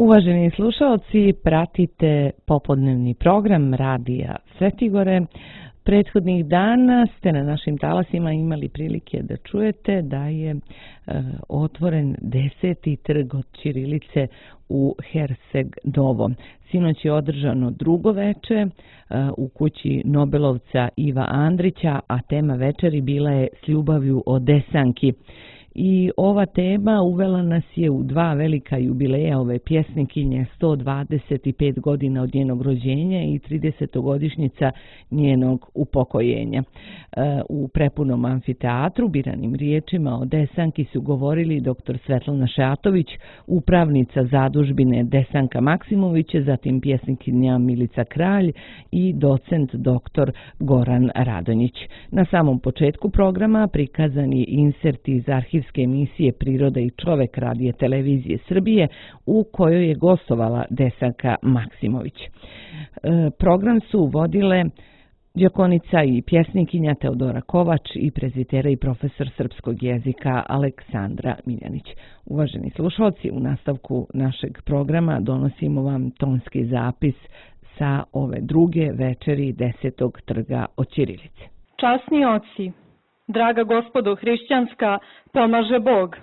Uvaženi slušalci, pratite popodnevni program Radija Svetigore. Prethodnih dana ste na našim talasima imali prilike da čujete da je otvoren 10. trg od ćirilice u Herceg Novom. Sinoć je održano drugo veče u kući Nobelovca Iva Andrića, a tema večeri bila je S ljubavlju o Desanki. I ova tema uvela nas je u dva velika jubileja ove pjesnikinje, 125 godina od njenog rođenja i 30-godišnjica njenog upokojenja. U prepunom amfiteatru biranim riječima o Desanki su govorili dr. Svetlana Šejatović, upravnica zadužbine Desanka Maksimović, zatim pjesnikinja Milica Kralj i docent dr. Goran Radonjić. Na samom početku programa prikazani inserti iz arhivske emisije Priroda i čovek Radija Televizije Srbije u kojoj je gostovala Desanka Maksimović. Program su vodile djakonica i pjesnikinja Teodora Kovač i prezitera i profesor srpskog jezika Aleksandra Miljanić. Uvaženi slušalci, u nastavku našeg programa donosimo vam tonski zapis sa ove druge večeri 10. trga od ćirilice. Časni oci, draga gospodo hrišćanska, pomaže Bog.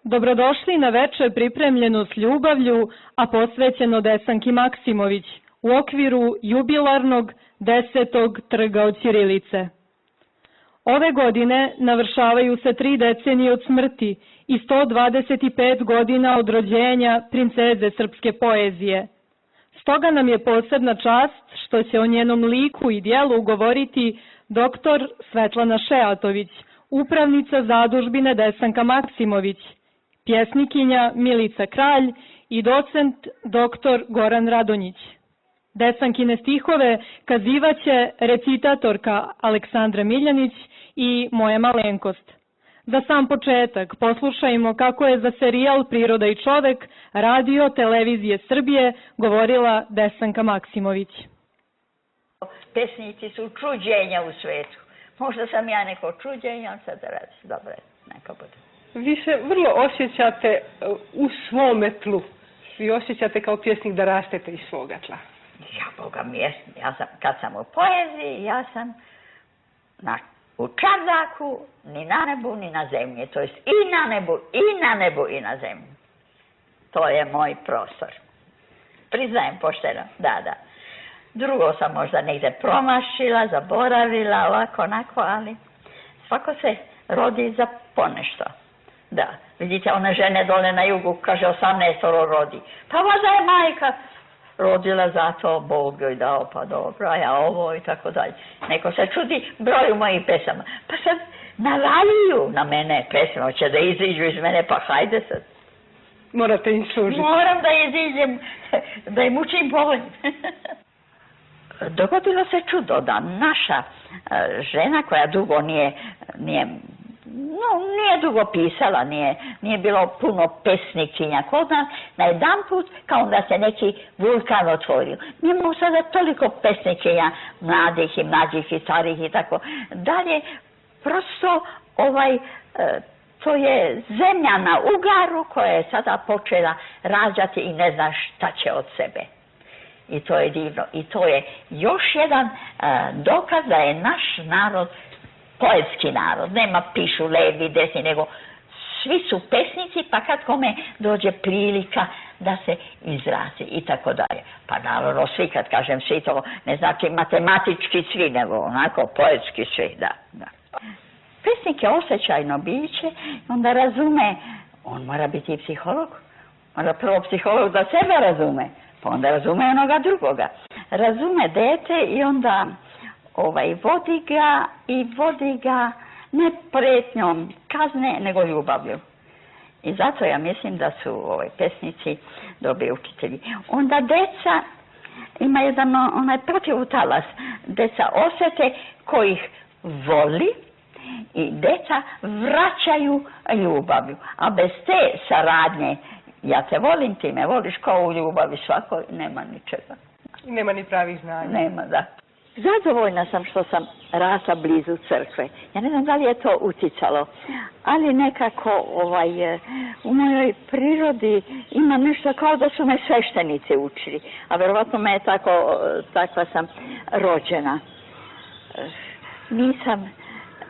Dobrodošli na večer pripremljenu s ljubavlju, a posvećeno Desanki Maksimović u okviru jubilarnog 10. trga od ćirilice. Ove godine navršavaju se 3 decenije od smrti i 125 godina od rođenja princeze srpske poezije. Stoga nam je posebna čast što će o njenom liku i dijelu govoriti dr. Svetlana Šejatović, upravnica zadužbine Desanka Maksimović, pjesnikinja Milica Kralj i docent dr. Goran Radonjić. Desankine stihove kazivaće recitatorka Aleksandra Miljanić i moja malenkost. Za sam početak poslušajmo kako je za serijal Priroda i čovek Radio Televizije Srbije govorila Desanka Maksimović. Pesnici su čuđenja u svetu. Možda sam ja neko čuđenje, ali sad radi. Dobro, neka bude. Vi se vrlo osjećate u svome tlu. Vi osjećate kao pjesnik da rastete iz svoga tla. Ja, Boga mi je, kad sam u poeziji, ja sam u čardaku, ni na nebu, ni na zemlji. To jest i na nebu, i na zemlji. To je moj prostor. Priznajem pošteno, da. Drugo sam možda negdje promašila, zaboravila, ovako, onako, ali svako se rodi za ponešto. Da, vidite, one žene dole na jugu, kaže 18 rodi. Pa možda je majka rodila zato, Bog joj dao, pa dobro, a ja ovo i tako dalje. Neko se čudi broju mojih pesama. Pa sad navaljuju na mene pesme, hoće da iziđu iz mene, pa hajde sad. Morate im služiti. Moram da iziđem, da im učim povolj. Dogodilo se čudo da naša žena koja dugo nije dugo pisala, nije bilo puno pesnikinja kod nas, na jedan put kao da se neki vulkan otvorio. Mi imamo sada toliko pesnikinja, mladih i mlađih i starih i tako dalje. Prosto to je zemlja na ugaru koja je sada počela rađati i ne zna šta će od sebe. I to je divno. I to je još jedan dokaz da je naš narod poetski narod. Nema pišu levi, desni, nego svi su pesnici, pa kad kome dođe prilika da se izrazi i tako dalje. Pa naravno svi, kad kažem svi, to ne znači matematički svi, nego onako poetski svi, da. Pesnik je osjećajno biće, onda razume, on mora biti i psiholog. Mora prvo psiholog da sebe razume, pa onda razume onoga drugoga. Razume dete i onda vodi ga ne pretnjom kazne, nego ljubavlju. I zato ja mislim da su pesnici dobri učitelji. Onda deca ima jedan onaj protivutalas. Deca osjete kojih voli i deca vraćaju ljubavlju. A bez te saradnje, ja te volim, ti me voliš, kao u ljubavi svakoj, nema ničega. Nema ni pravih znanja. Nema, da. zadovoljna sam što sam rasla blizu crkve. Ja ne znam da li je to uticalo, ali nekako u mojoj prirodi ima nešto kao da su me sveštenici učili, a verovatno me je takva sam rođena.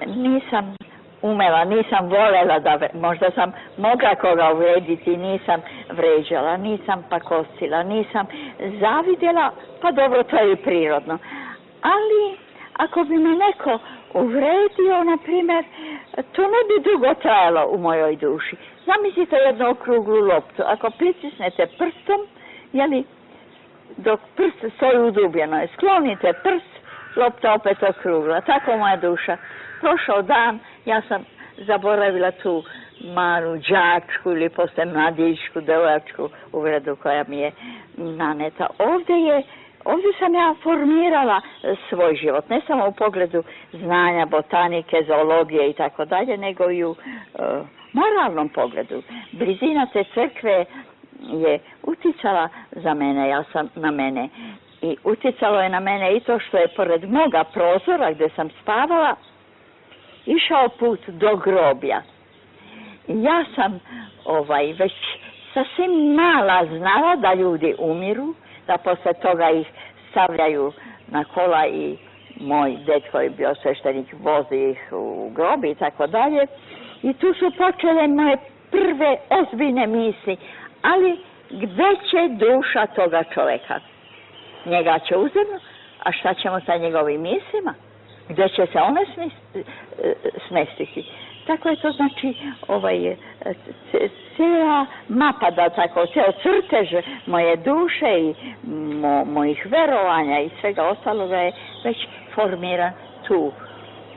Nisam umela, nisam voljela da, možda sam mogla koga uvrediti, nisam vređala, nisam pakostila, nisam zavidjela, pa dobro, to je i prirodno. Ali ako bi me neko uvredio, na primjer, to ne bi dugo trajalo u mojoj duši. Zamislite jednu okruglu loptu, ako pritisnete prstom, dok prst stoji udubljeno, sklonite prst, lopta opet okrugla. Tako moja duša. Prošao dan, ja sam zaboravila tu malu đačku ili posle mladićku, devojačku uvredu koja mi je naneta. Ovdje sam ja formirala svoj život, ne samo u pogledu znanja, botanike, zoologije i tako dalje, nego i u moralnom pogledu. Blizina te crkve je uticala na mene. I uticalo je na mene i to što je pored moga prozora gdje sam spavala išao put do groblja. Ja sam već sasvim mala znala da ljudi umiru, da posle toga ih stavljaju na kola i moj ded koji je bio sveštenik vozi ih u grobi i tako dalje. I tu su počele moje prve ozbiljne misli, ali gdje će duša toga čoveka? Njega će uzeti, a šta ćemo sa njegovim mislima? Gdje će se one smestiti? Tako je to, znači, cijela mapa, da tako, cijel crtež moje duše i mojih verovanja i svega ostaloga je već formiran tu,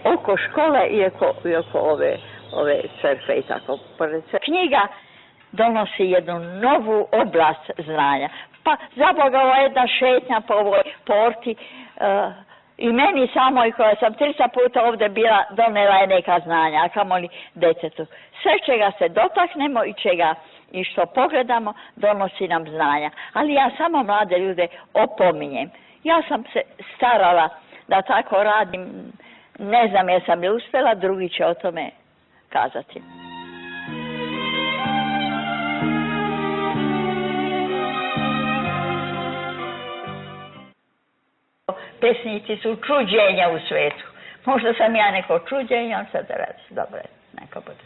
oko škole i oko ove crkve i tako. Knjiga donosi jednu novu oblast znanja. Pa zaboga ova jedna šetnja po ovoj porti i meni samoj koja sam 300 puta ovdje bila donela je neka znanja, a kamoli detetu. Sve čega se dotaknemo i što pogledamo donosi nam znanja. Ali ja samo mlade ljude opominjem. Ja sam se starala da tako radim, ne znam jesam li uspjela, drugi će o tome kazati. Pesnici su čuđenja u svetu. Možda sam ja neko čuđenje, ali sad radi. Dobro, neka bude.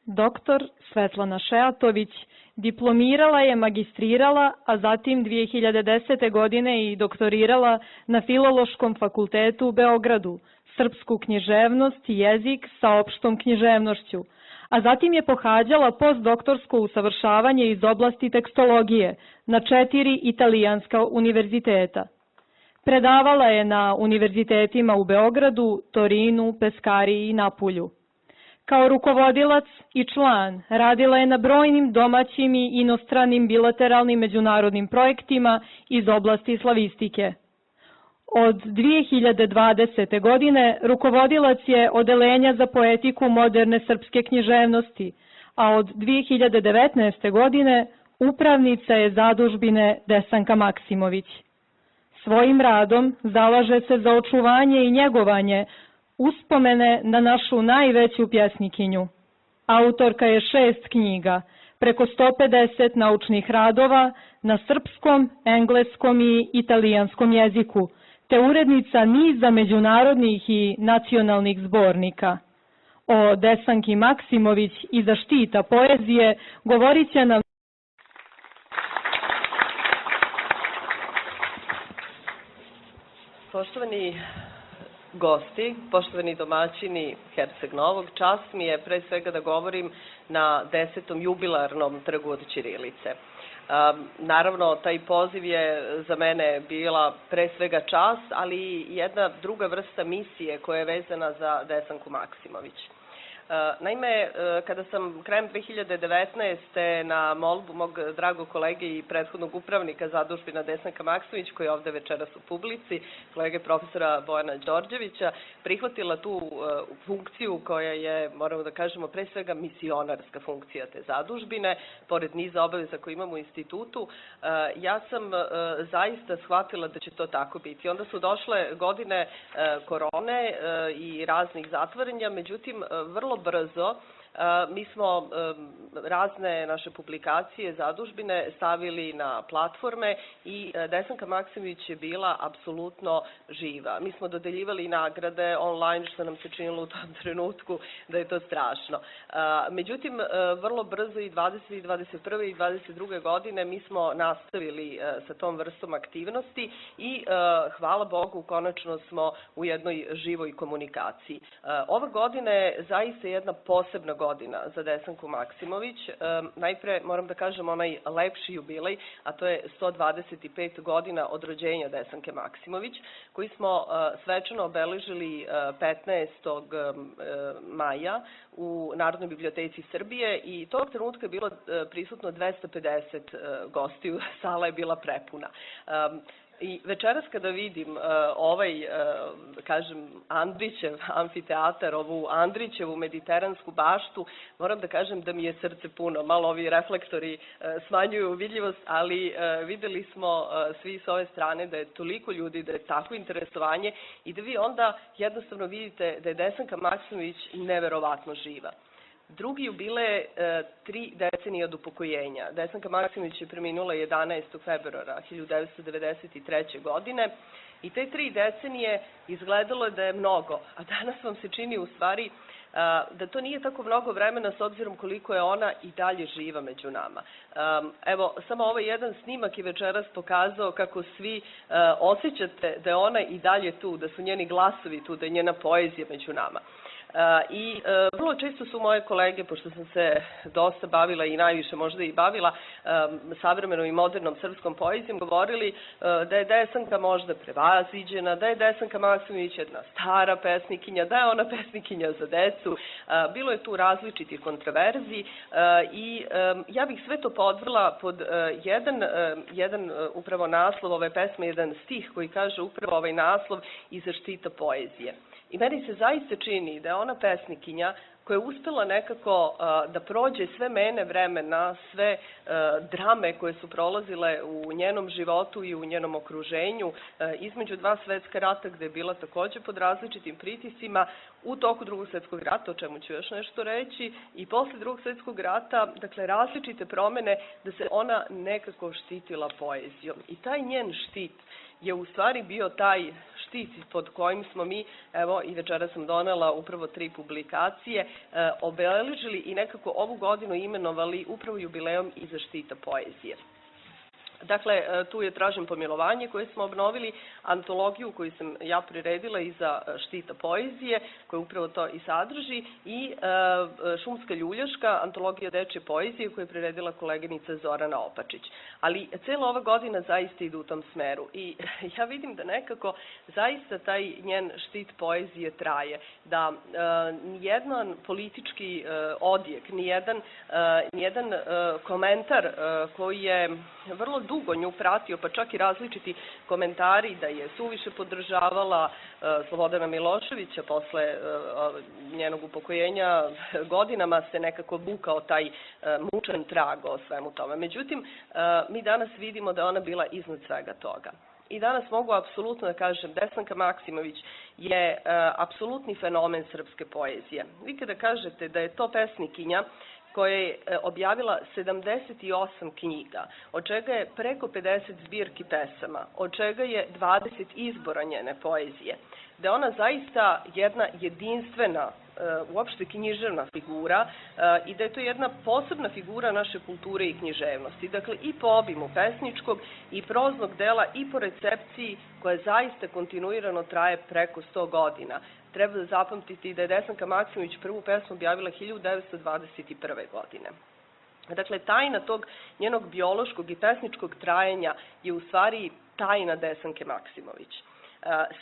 Doktor Svetlana Šeatović diplomirala je, magistrirala, a zatim 2010. godine i doktorirala na Filološkom fakultetu u Beogradu, srpsku književnost i jezik sa opštom književnošću, a zatim je pohađala postdoktorsko usavršavanje iz oblasti tekstologije na 4 italijanska univerziteta. Predavala je na univerzitetima u Beogradu, Torinu, Peskariji i Napulju. Kao rukovodilac i član radila je na brojnim domaćim i inostranim bilateralnim međunarodnim projektima iz oblasti slavistike. Od 2020. godine rukovodilac je Odeljenja za poetiku moderne srpske književnosti, a od 2019. godine upravnica je zadužbine Desanka Maksimović. Svojim radom zalaže se za očuvanje i njegovanje uspomene na našu najveću pjesnikinju. Autorka je 6 knjiga, preko 150 naučnih radova na srpskom, engleskom i italijanskom jeziku, te urednica niza međunarodnih i nacionalnih zbornika. O Desanki Maksimović i zaštita poezije govorit će nam Poštovani gosti, poštovani domaćini Herceg Novog, čast mi je pre svega da govorim na 10. jubilarnom trgu od ćirilice. Naravno, taj poziv je za mene bila pre svega čast, ali i jedna druga vrsta misije koja je vezana za Desanku Maksimović. Naime, kada sam krajem 2019. na molbu mog dragog kolege i prethodnog upravnika zadužbina Desanka Maksimović, koji je ovde večeras u publici, kolege profesora Bojana Đorđevića, prihvatila tu funkciju koja je, moramo da kažemo, pre svega misionarska funkcija te zadužbine, pored niza obaveza koje imamo u institutu, ja sam zaista shvatila da će to tako biti. Onda su došle godine korone i raznih zatvaranja, međutim, vrlo brzo mi smo razne naše publikacije, zadužbine stavili na platforme i Desanka Maksimović je bila apsolutno živa. Mi smo dodeljivali nagrade online, što nam se činilo u tom trenutku da je to strašno. Međutim, vrlo brzo i 20. i 21. i 22. godine mi smo nastavili sa tom vrstom aktivnosti i hvala Bogu, konačno smo u jednoj živoj komunikaciji. Ova godina je zaista jedna posebna godina za Desanku Maksimović. Najpre moram da kažem onaj lepši jubilej, a to je 125 godina od rođenja Desanke Maksimović, koji smo svečano obeležili 15. maja u Narodnoj biblioteci Srbije i tog trenutka je bilo prisutno 250 gostiju, sala je bila prepuna. I večeras kada vidim ovaj, kažem, Andrićev amfiteatar, ovu Andrićevu mediteransku baštu, moram da kažem da mi je srce puno. Malo ovi reflektori smanjuju vidljivost, ali videli smo svi s ove strane da je toliko ljudi, da je tako interesovanje i da vi onda jednostavno vidite da je Desanka Maksimović neverovatno živa. Drugi jubilej 3 decenije od upokojenja. Desanka Maksimović je preminula 11. februara 1993. godine i te 3 decenije izgledalo je da je mnogo, a danas vam se čini u stvari da to nije tako mnogo vremena s obzirom koliko je ona i dalje živa među nama. Evo, samo ovaj jedan snimak je večeras pokazao kako svi osjećate da je ona i dalje tu, da su njeni glasovi tu, da je njena poezija među nama. I vrlo često su moje kolege, pošto sam se dosta bavila i najviše možda i bavila savremenom i modernom srpskom poezijom, govorili da je Desanka možda prevaziđena, da je Desanka Maksimović jedna stara pesnikinja, da je ona pesnikinja za decu. Bilo je tu različitih kontroverzi i ja bih sve to podvrla pod jedan upravo naslov ove pesme, jedan stih koji kaže upravo ovaj naslov Iza štita poezije. I meni se zaista čini da je ona pesnikinja koja je uspela nekako da prođe sve mene vremena, sve drame koje su prolazile u njenom životu i u njenom okruženju, između 2 svetska rata gde je bila takođe pod različitim pritiscima, u toku Drugog svetskog rata, o čemu ću još nešto reći, i posle Drugog svetskog rata, dakle različite promene, da se ona nekako štitila poezijom. I taj njen štit je u stvari bio taj štit pod kojim smo mi, evo i večera sam donela upravo 3 publikacije, obeležili i nekako ovu godinu imenovali upravo jubilejom Iza štita poezije. Dakle, tu je Tražim pomilovanje koje smo obnovili, antologiju koju sam ja priredila iza štita poezije, koja upravo to i sadrži, i Šumska ljuljaška, antologija dečje poezije koju je priredila koleginica Zorana Opačić. Ali cela ova godina zaista ide u tom smeru i ja vidim da nekako zaista taj njen štit poezije traje, da nijedan politički odjek, nijedan komentar koji je vrlo dugo nju pratio, pa čak i različiti komentari da je suviše podržavala Slobodana Miloševića posle njenog upokojenja, godinama se nekako vukao taj mučan trag o svemu tome. Međutim, mi danas vidimo da je ona bila iznad svega toga. I danas mogu apsolutno da kažem, Desanka Maksimović je apsolutni fenomen srpske poezije. Vi kada kažete da je to pesnikinja koja je objavila 78 knjiga, od čega je preko 50 zbirki pesama, od čega je 20 izbora njene poezije, da je ona zaista jedna jedinstvena, uopšte književna figura i da je to jedna posebna figura naše kulture i književnosti. Dakle, i po obimu pesničkog i proznog dela i po recepciji koja zaista kontinuirano traje preko 100 godina. Treba da zapamtiti da je Desanka Maksimović prvu pesmu objavila 1921. godine. Dakle, tajna tog njenog biološkog i pesničkog trajanja je u stvari tajna Desanke Maksimović.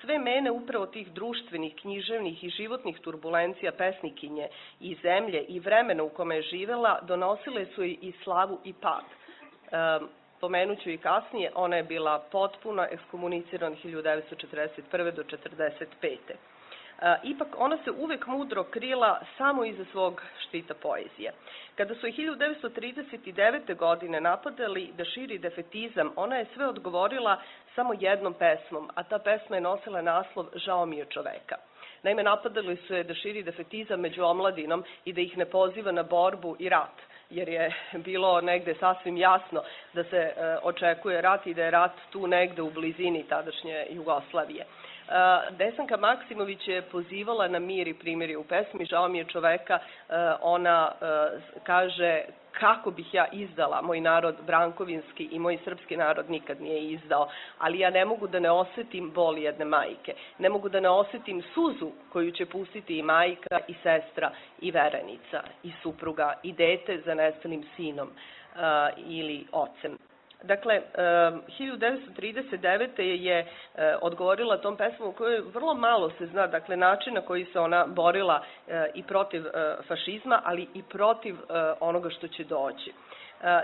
Sve mene upravo tih društvenih, književnih i životnih turbulencija pesnikinje i zemlje i vremena u kome je živela donosile su i slavu i pad. Pomenuću i kasnije, ona je bila potpuno ekskomunicirana 1941. do 1945. Ipak ona se uvek mudro krila samo iza svog štita poezije. Kada su je 1939. godine napadali da širi defetizam, ona je sve odgovorila samo jednom pesmom, a ta pesma je nosila naslov Žao mi je čoveka. Naime, napadali su je da širi defetizam među omladinom i da ih ne poziva na borbu i rat, jer je bilo negde sasvim jasno da se očekuje rat i da je rat tu negde u blizini tadašnje Jugoslavije. Desanka Maksimović je pozivala na mir i primirje u pesmi Žao mi je čoveka. Ona kaže kako bih ja izdala moj narod brankovinski i moj srpski narod nikad nije izdao, ali ja ne mogu da ne osetim bol jedne majke, ne mogu da ne osetim suzu koju će pustiti i majka i sestra i verenica i supruga i dete za nestalim sinom ili ocem. Dakle, 1939. je odgovorila tom pesmom u kojoj vrlo malo se zna, dakle, način na koji se ona borila i protiv fašizma, ali i protiv onoga što će doći.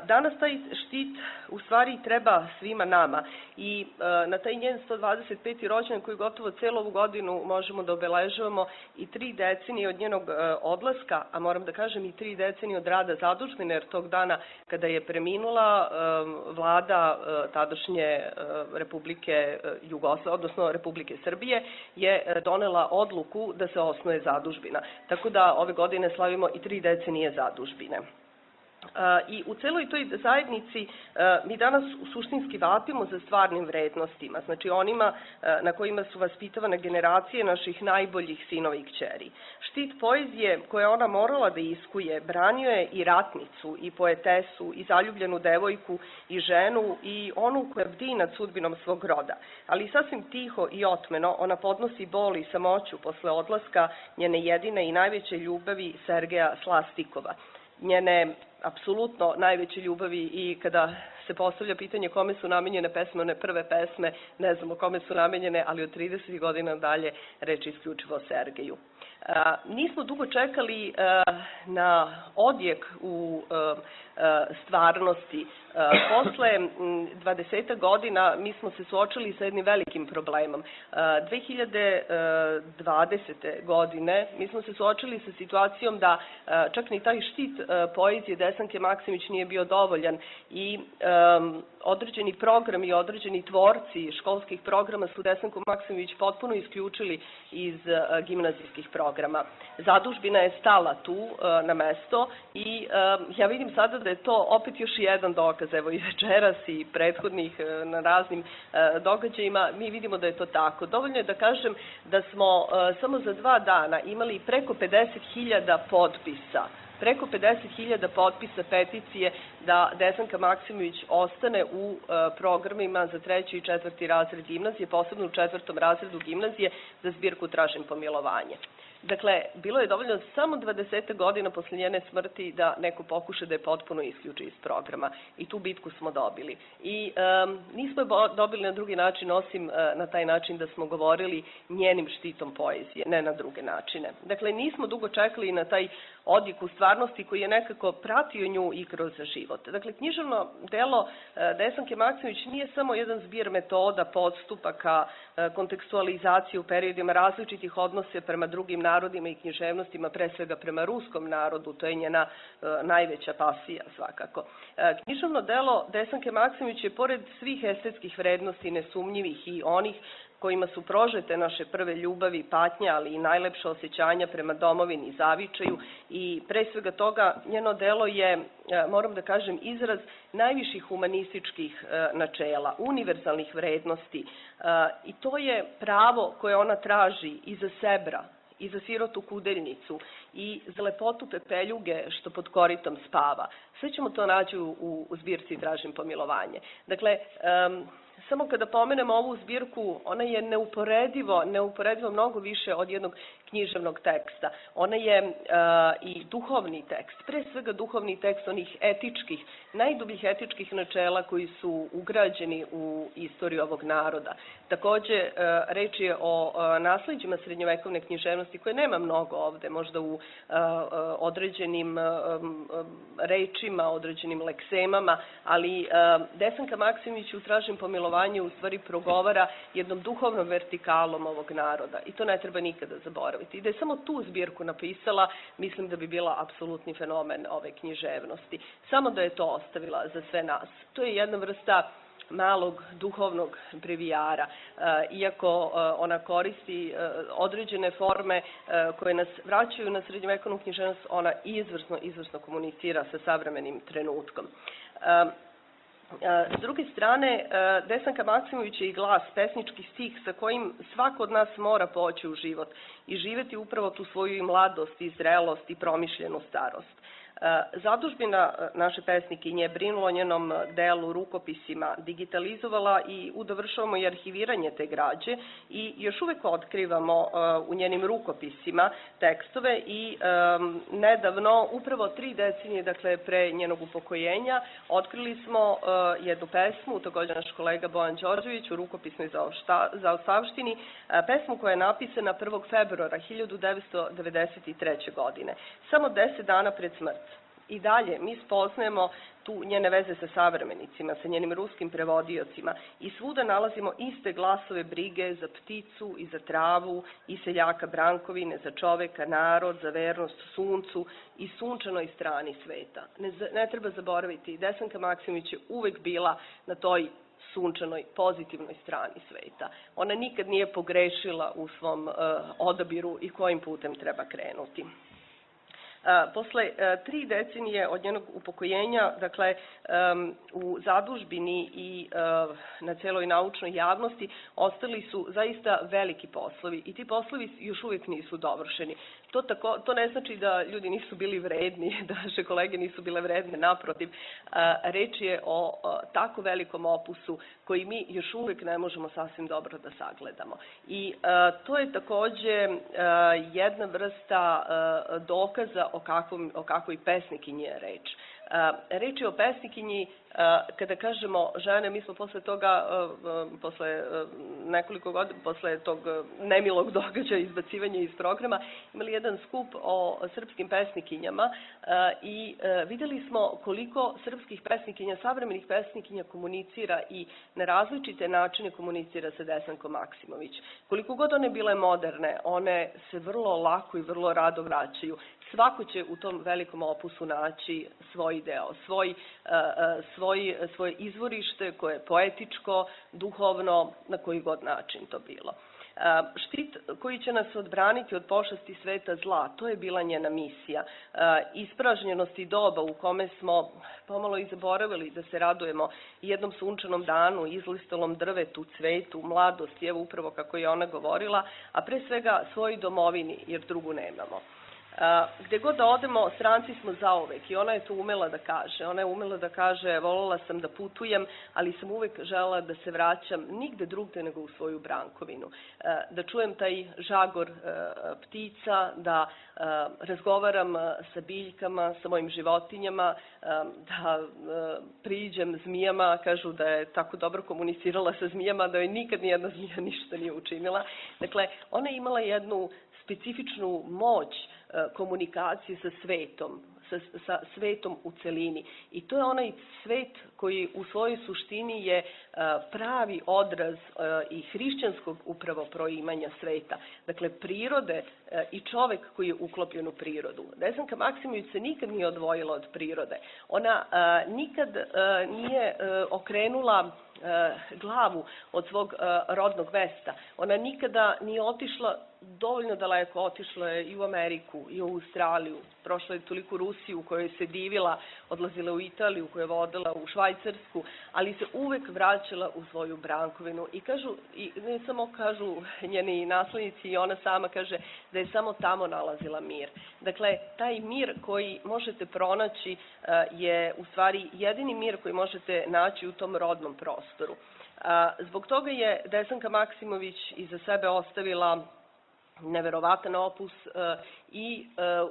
Danas taj štit u stvari treba svima nama i na taj njen 125. rođendan koji gotovo celu ovu godinu možemo da obeležavamo i 3 decenije od njenog odlaska, a moram da kažem i 3 decenije od rada zadužbine, jer tog dana kada je preminula vlada tadašnje Republike Jugoslavije, odnosno Republike Srbije, je donela odluku da se osnuje zadužbina. Tako da ove godine slavimo i 3 decenije zadužbine. I u celoj toj zajednici mi danas suštinski vapimo za stvarnim vrednostima, znači onima na kojima su vaspitavane generacije naših najboljih sinova i kćeri. Štit poezije koje ona morala da iskuje branio je i ratnicu, i poetesu, i zaljubljenu devojku, i ženu, i onu koja bdi nad sudbinom svog roda. Ali sasvim tiho i otmeno ona podnosi bol i samoću posle odlaska njene jedine i najveće ljubavi Sergeja Slastikova. Njene apsolutno najveće ljubavi i kada se postavlja pitanje kome su namenjene pesme, one prve pesme, ne znamo kome su namenjene, ali od 30 godina dalje reč isključivo o Sergeju. Nismo dugo čekali na odjek u stvarnosti. Posle 20 godina mi smo se suočili sa jednim velikim problemom. 2020. godine mi smo se suočili sa situacijom da čak ni taj štit poezije Desanke Maksimović nije bio dovoljan i određeni programi i određeni tvorci školskih programa su Desanku Maksimović potpuno isključili iz gimnazijskih programa. Zadužbina je stala tu na mesto i ja vidim sada da je to opet još jedan dokaz. Evo i večeras i prethodnih na raznim događajima mi vidimo da je to tako. Dovoljno je da kažem da smo samo za 2 dana imali preko 50.000 potpisa. Preko 50.000 potpisa peticije da Desanka Maksimović ostane u programima za 3. i 4. razred gimnazije, posebno u 4. razredu gimnazije za zbirku Tražim pomilovanje. Dakle, bilo je dovoljno samo 20 godina posle njene smrti da neko pokuša da je potpuno isključi iz programa. I tu bitku smo dobili. I nismo je dobili na drugi način, osim na taj način da smo govorili njenim štitom poezije, ne na druge načine. Dakle, nismo dugo čekali na taj odjek u stvarnosti koji je nekako pratio nju i kroz život. Dakle, književno delo Desanke Maksimović nije samo jedan zbir metoda, podstupaka, kontekstualizacije u periodima različitih odnose prema drugim narodima i književnostima, pre svega prema ruskom narodu, to je njena najveća pasija svakako. Književno delo Desanke Maksimović je pored svih estetskih vrednosti nesumnjivih i onih kojima su prožete naše prve ljubavi, patnje, ali i najlepše osjećanja prema domovini i zavičaju i pre svega toga njeno delo je, moram da kažem, izraz najviših humanističkih načela, univerzalnih vrednosti i to je pravo koje ona traži i za Sebra, i za sirotu kudeljnicu, i za lepotu pepeljuge što pod koritom spava. Sve ćemo to naći u zbirci Tražim pomilovanje. Dakle, samo kada pomenemo ovu zbirku, ona je neuporedivo mnogo više od jednog književnog teksta. Ona je i duhovni tekst, pre svega duhovni tekst onih etičkih, najdubljih etičkih načela koji su ugrađeni u istoriju ovog naroda. Takođe, reč je o nasleđima srednjovekovne književnosti koje nema mnogo ovde, možda u određenim rečima, određenim leksemama, ali Desanka Maksimović u Tražim pomilovanje u stvari progovara jednom duhovnom vertikalom ovog naroda i to ne treba nikada zaboraviti. I da je samo tu zbirku napisala, mislim da bi bila apsolutni fenomen ove književnosti. Samo da je to ostavila za sve nas. To je jedna vrsta malog duhovnog brevijara, iako ona koristi određene forme koje nas vraćaju na srednjovekovnu književnost, ona izvrsno komunicira sa savremenim trenutkom. S druge strane, Desanka Maksimović je i glas, pesnički stih sa kojim svako od nas mora poći u život i živeti upravo tu svoju mladost i zrelost i promišljenu starost. Zadužbina naše pesnikinje brinula o njenom delu, rukopisima, digitalizovala i udovršavamo i arhiviranje te građe i još uvek otkrivamo u njenim rukopisima tekstove i nedavno, upravo 3 decenije, dakle pre njenog upokojenja, otkrili smo jednu pesmu, takođe naš kolega Bojan Đorđević u rukopisnoj zaostavštini, pesmu koja je napisana 1. februara 1993. godine, samo 10 dana pred smrt. I dalje mi spoznajemo tu njene veze sa savremenicima, sa njenim ruskim prevodiocima i svuda nalazimo iste glasove brige za pticu i za travu i seljaka brankovine, za čoveka, narod, za vernost suncu i sunčanoj strani sveta. Ne treba zaboraviti, Desanka Maksimović je uvek bila na toj sunčanoj, pozitivnoj strani sveta. Ona nikad nije pogrešila u svom odabiru i kojim putem treba krenuti. Posle 3 decenije od njenog upokojenja, dakle, u zadužbini i na celoj naučnoj javnosti ostali su zaista veliki poslovi i ti poslovi još uvijek nisu dovršeni. To ne znači da ljudi nisu bili vredni, da naše kolege nisu bile vredne, naprotiv. Reč je o tako velikom opusu koji mi još uvijek ne možemo sasvim dobro da sagledamo. I to je takođe jedna vrsta dokaza o kakvoj pesnikinji je reč. Reč je o pesnikinji, kada kažemo žene, mi smo posle toga, posle nekoliko godina, posle tog nemilog događaja, izbacivanja iz programa, imali jedan skup o srpskim pesnikinjama i videli smo koliko srpskih pesnikinja, savremenih pesnikinja komunicira i na različite načine komunicira sa Desankom Maksimović. Koliko god one bile moderne, one se vrlo lako i vrlo rado vraćaju. Svako će u tom velikom opusu naći svoj deo, svoje izvorište koje je poetičko, duhovno, na koji god način to bilo. Štit koji će nas odbraniti od pošasti sveta zla, to je bila njena misija. Ispražnjenosti doba u kome smo pomalo i zaboravili da se radujemo jednom sunčanom danu, izlistalom drvetu, cvetu, mladosti, evo upravo kako je ona govorila, a pre svega svojoj domovini, jer drugu nemamo. Gde god da odemo, stranci smo zauvek i ona je to umela da kaže. Ona je umela da kaže, voljela sam da putujem, ali sam uvek želela da se vraćam nigde drugde nego u svoju brankovinu. Da čujem taj žagor ptica, da razgovaram sa biljkama, sa mojim životinjama, da priđem zmijama, kažu da je tako dobro komunicirala sa zmijama, da joj nikad nijedna zmija ništa nije učinila. Dakle, ona je imala jednu specifičnu moć komunikacije sa svetom u celini. I to je onaj svet koji u svojoj suštini je pravi odraz i hrišćanskog upravo proimanja sveta. Dakle, prirode i čovek koji je uklopljen u prirodu. Desanka Maksimović se nikad nije odvojila od prirode. Ona nikad nije okrenula glavu od svog rodnog mesta. Ona nikada nije otišla dovoljno daleko, otišla je i u Ameriku, i u Australiju, prošla je toliko Rusiju u kojoj se divila, odlazila u Italiju, koju je vodila u Švajcarsku, ali se uvek vraćala u svoju brankovinu i kažu, i ne samo kažu njeni naslednici, i ona sama kaže da je samo tamo nalazila mir. Dakle, taj mir koji možete pronaći je u stvari jedini mir koji možete naći u tom rodnom prostoru. Zbog toga je Desanka Maksimović iza sebe ostavila neverovatan opus i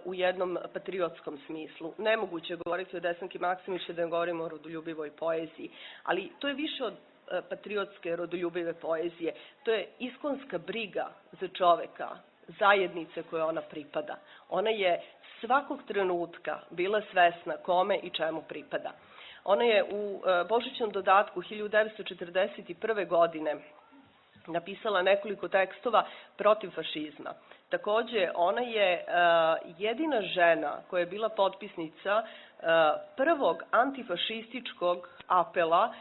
u jednom patriotskom smislu. Nemoguće je govoriti o Desanki Maksimović da ne govorimo o rodoljubivoj poeziji, ali to je više od patriotske rodoljubive poezije. To je iskonska briga za čoveka, zajednice koje ona pripada. Ona je svakog trenutka bila svesna kome i čemu pripada. Ona je u Božićnom dodatku 1941. godine napisala nekoliko tekstova protiv fašizma. Takođe, ona je jedina žena koja je bila potpisnica prvog antifašističkog apela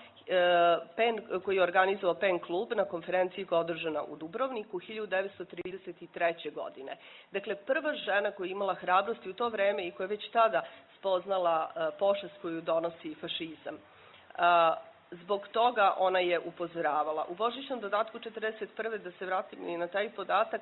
koji je organizovao PEN klub na konferenciji koja je održana u Dubrovniku 1933. godine. Dakle, prva žena koja je imala hrabrost u to vreme i koja je već tada spoznala pošast koju donosi fašizam. Zbog toga ona je upozoravala. U Božićnom dodatku 1941. da se vratim i na taj podatak,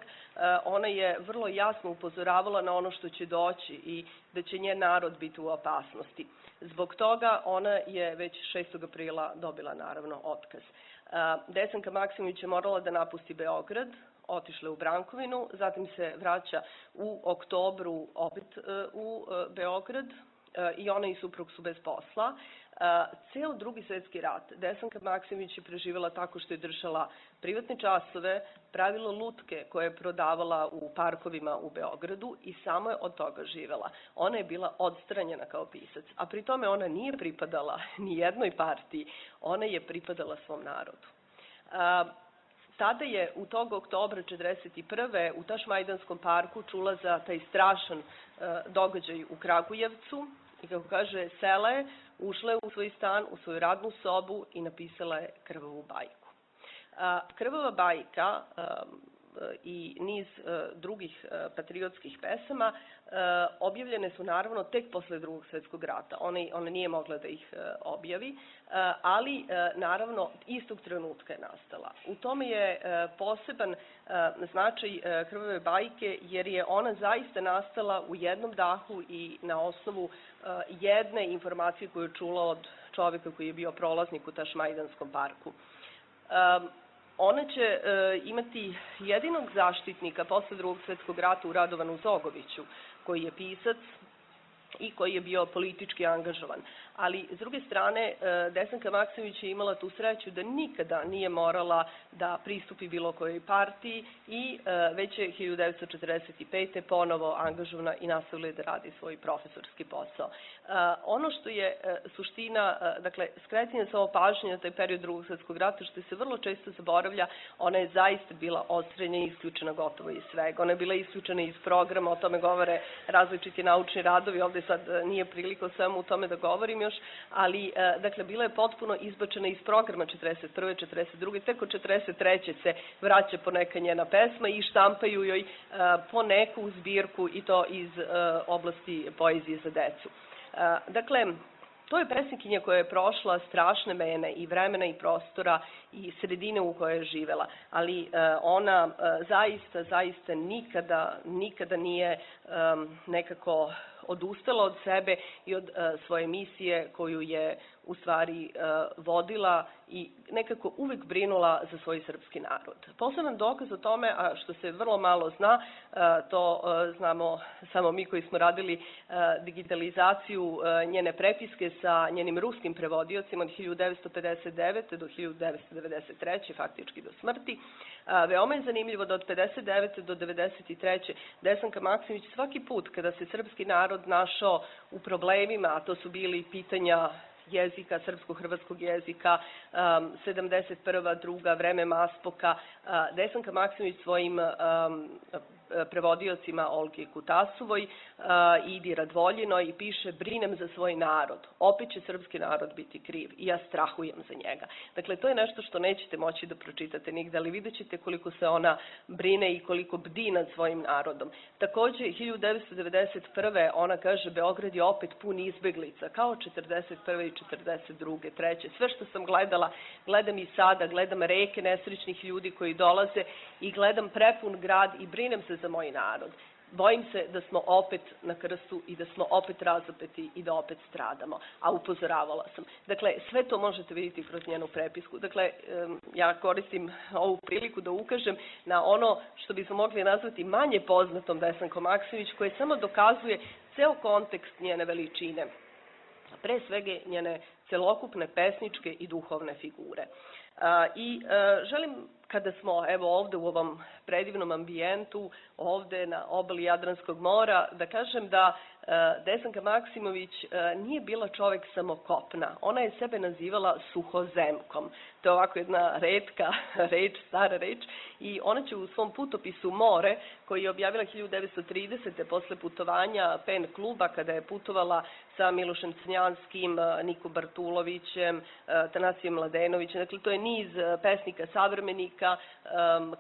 ona je vrlo jasno upozoravala na ono što će doći i da će njen narod biti u opasnosti. Zbog toga ona je već 6. aprila dobila naravno otkaz. Desanka Maksimović je morala da napusti Beograd, otišla u Brankovinu, zatim se vraća u oktobru opet u Beograd i ona i suprug su bez posla. Ceo Drugi svetski rat Desanka Maksimović je preživjela tako što je držala privatne časove, pravila lutke koje je prodavala u parkovima u Beogradu i samo je od toga živela. Ona je bila odstranjena kao pisac, a pri tome ona nije pripadala ni jednoj partiji, ona je pripadala svom narodu. Tada je u tog oktobra 1941. u Tašmajdanskom parku čula za taj strašan događaj u Kragujevcu i kako kaže, sela je, ušla je u svoj stan, u svoju radnu sobu i napisala je Krvavu bajku. Krvava bajka i niz drugih patriotskih pesama objavljene su naravno tek posle Drugog svetskog rata. Ona nije mogla da ih objavi, ali naravno istog trenutka je nastala. U tome je poseban značaj Krvave bajke jer je ona zaista nastala u jednom dahu i na osnovu jedne informacije koju je čula od čoveka koji je bio prolaznik u Tašmajdanskom parku. Ona će imati jedinog zaštitnika posle Drugog svetskog rata u Radovanu Zogoviću, koji je pisac i koji je bio politički angažovan. Ali, s druge strane, Desanka Maksimović je imala tu sreću da nikada nije morala da pristupi bilo kojoj partiji i već je 1945. ponovo angažovana i nastavila da radi svoj profesorski posao. Ono što je suština, dakle, skretanje samo pažnje na taj period Drugog svetskog rata, što se vrlo često zaboravlja, ona je zaista bila odstranjena i isključena gotovo iz svega. Ona je bila isključena iz programa, o tome govore različiti naučni radovi, ovde sad nije prilika o svemu u tome da govorim još, ali, dakle, bila je potpuno izbačena iz programa 41. 42. Tek od 43. se vraća poneka njena pesma i štampaju joj po neku zbirku i to iz oblasti poezije za decu. Dakle, to je pesnikinja koja je prošla strašne mene i vremena i prostora i sredine u kojoj je živela, ali ona zaista nikada nije nekako odustala od sebe i od svoje misije koju je u stvari vodila i nekako uvek brinula za svoj srpski narod. Poseban dokaz o tome, a što se vrlo malo zna, to znamo samo mi koji smo radili digitalizaciju njene prepiske sa njenim ruskim prevodiocima od 1959. do 1993. faktički do smrti. Veoma je zanimljivo da od 59. do 93. Desanka Maksimović svaki put kada se srpski narod našao u problemima, a to su bili pitanja jezika, srpsko-hrvatskog jezika, 71. druga, vreme Maspoka, Desanka Maksimović svojim prevodiocima Olgi Kutasovoj i Idi Radvoljinoj piše: brinem za svoj narod, opet će srpski narod biti kriv i ja strahujem za njega. Dakle, to je nešto što nećete moći da pročitate nigde, ali vidjet ćete koliko se ona brine i koliko bdi nad svojim narodom. Takođe, 1991. ona kaže: Beograd je opet pun izbeglica, kao 41. i 42. 3. Sve što sam gledala, gledam i sada, gledam reke nesrećnih ljudi koji dolaze i gledam prepun grad i brinem se za moj narod. bojim se da smo opet na krstu i da smo opet razapeti i da opet stradamo, a upozoravala sam. Dakle, sve to možete vidjeti kroz njenu prepisku. Dakle, ja koristim ovu priliku da ukažem na ono što bismo mogli nazvati manje poznatom Desankom Maksimović, koje samo dokazuje ceo kontekst njene veličine, pre svega njene celokupne pesničke i duhovne figure. I želim, kada smo evo ovde u ovom predivnom ambijentu, ovde na obali Jadranskog mora, da kažem da Desanka Maksimović nije bila čovek samo kopna. Ona je sebe nazivala suhozemkom. To je ovako jedna retka reč, stara reč, i ona će u svom putopisu More, koji je objavila 1930. posle putovanja PEN kluba, kada je putovala sa Milošem Crnjanskim, Niko Bartulovićem, Tanasijem Mladenovićem. Dakle, to je niz pesnika savremenika,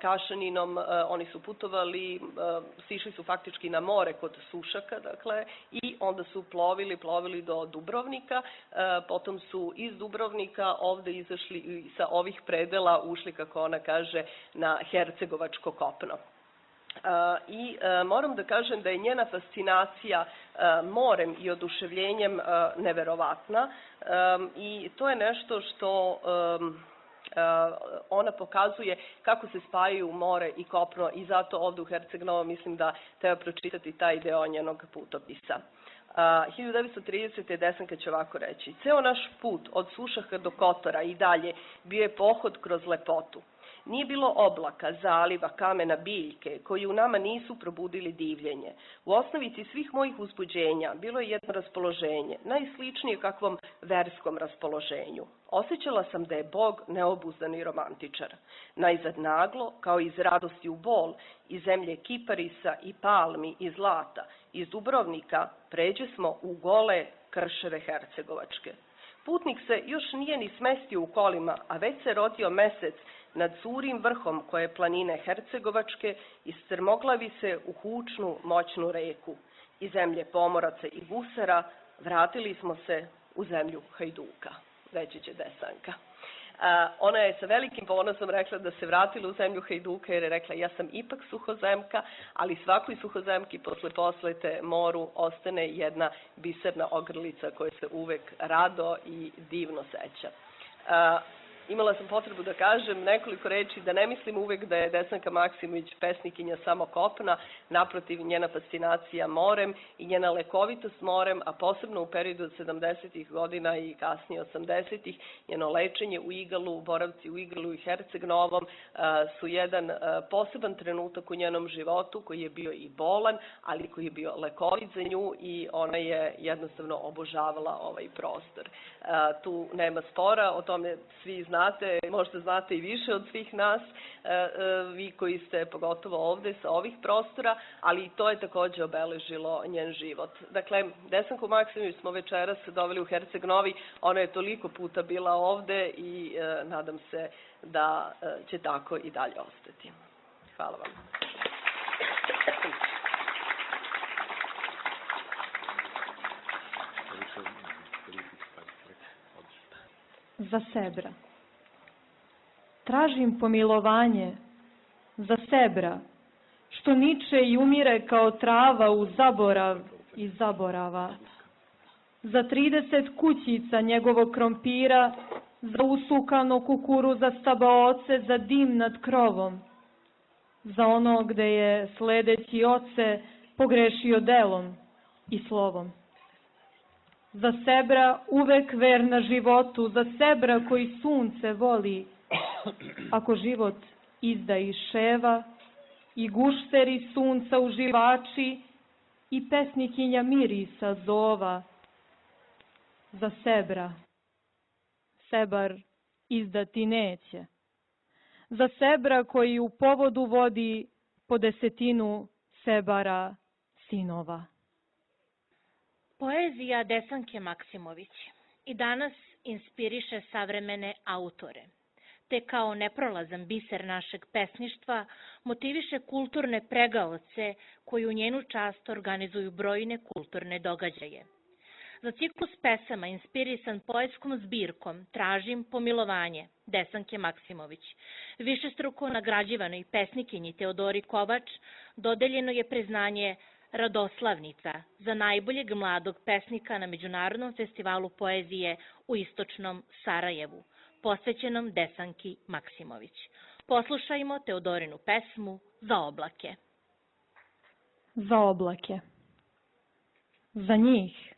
Kašaninom, oni su putovali, sišli su faktički na more kod Sušaka, dakle, i onda su plovili do Dubrovnika, potom su iz Dubrovnika ovde izašli i sa ovih predela ušli, kako ona kaže, na hercegovačko kopno. I moram da kažem da je njena fascinacija morem i oduševljenjem neverovatna i to je nešto što ona pokazuje kako se spajaju more i kopno i zato ovde u Herceg-Novom mislim da treba pročitati taj deo njenog putopisa. 1930. Desanka će ovako reći: ceo naš put od Sušaka do Kotora i dalje bio je pohod kroz lepotu. Nije bilo oblaka, zaliva, kamena, biljke, koji u nama nisu probudili divljenje. U osnovici svih mojih uzbuđenja bilo je jedno raspoloženje, najsličnije kakvom verskom raspoloženju. Osjećala sam da je Bog neobuzdani romantičar. Najzad naglo, kao iz radosti u bol, iz zemlje kiparisa i palmi i zlata, iz Dubrovnika, pređe smo u gole krševe hercegovačke. Putnik se još nije ni smestio u kolima, a već se rodio mesec nad Curim vrhom koje planine hercegovačke i strmoglavi se u hučnu, moćnu reku. Iz zemlje pomoraca i gusara vratili smo se u zemlju hajduka, reći će Desanka. Ona je sa velikim ponosom rekla da se vratila u zemlju hajduka jer je rekla: ja sam ipak suhozemka, ali svakoj suhozemki posle poslete moru ostane jedna biserna ogrlica koja se uvek rado i divno seća. Imala sam potrebu da kažem nekoliko reči, da ne mislim uvek da je Desanka Maksimović pesnikinja samo kopna, naprotiv, njena fascinacija morem i njena lekovitost morem, a posebno u periodu od 70. godina i kasnije 80. njeno lečenje u Igalu, boravci u Igalu i Herceg-Novom su jedan poseban trenutak u njenom životu koji je bio i bolan, ali koji je bio lekovit za nju i ona je jednostavno obožavala ovaj prostor. Tu nema spora, o tome svi znate, možda znate i više od svih nas, vi koji ste pogotovo ovde sa ovih prostora, ali i to je takođe obeležilo njen život. Dakle, Desanku Maksimović smo večeras doveli u Herceg-Novi, ona je toliko puta bila ovde i nadam se da će tako i dalje ostati. Hvala vam. Za Sebra. Tražim pomilovanje za Sebra, što niče i umire kao trava u zaborav i zaborava. Za 30 kućica njegovog krompira, za usukano kukuruza stabaoce, za dim nad krovom. Za ono gde je sledeći oce pogrešio delom i slovom. Za Sebra uvek verna životu, za Sebra koji sunce voli, ako život izda i ševa, i gušteri sunca uživači, i pesnikinja mirisa zova. Za Sebra, Sebar izdati neće. Za Sebra koji u povodu vodi po 10 Sebara sinova. Poezija Desanke Maksimović i danas inspiriše savremene autore, te kao neprolazan biser našeg pesništva motiviše kulturne pregaoce koji u njenu čast organizuju brojne kulturne događaje. Za ciklus pesama inspirisan poetskom zbirkom Tražim pomilovanje Desanke Maksimović, višestruko nagrađivanoj pesnikinji Teodori Kovač dodeljeno je priznanje Radoslavnica za najboljeg mladog pesnika na Međunarodnom festivalu poezije u istočnom Sarajevu, posvećenom Desanki Maksimović. Poslušajmo Teodorinu pesmu Za oblake. Za oblake. Za njih,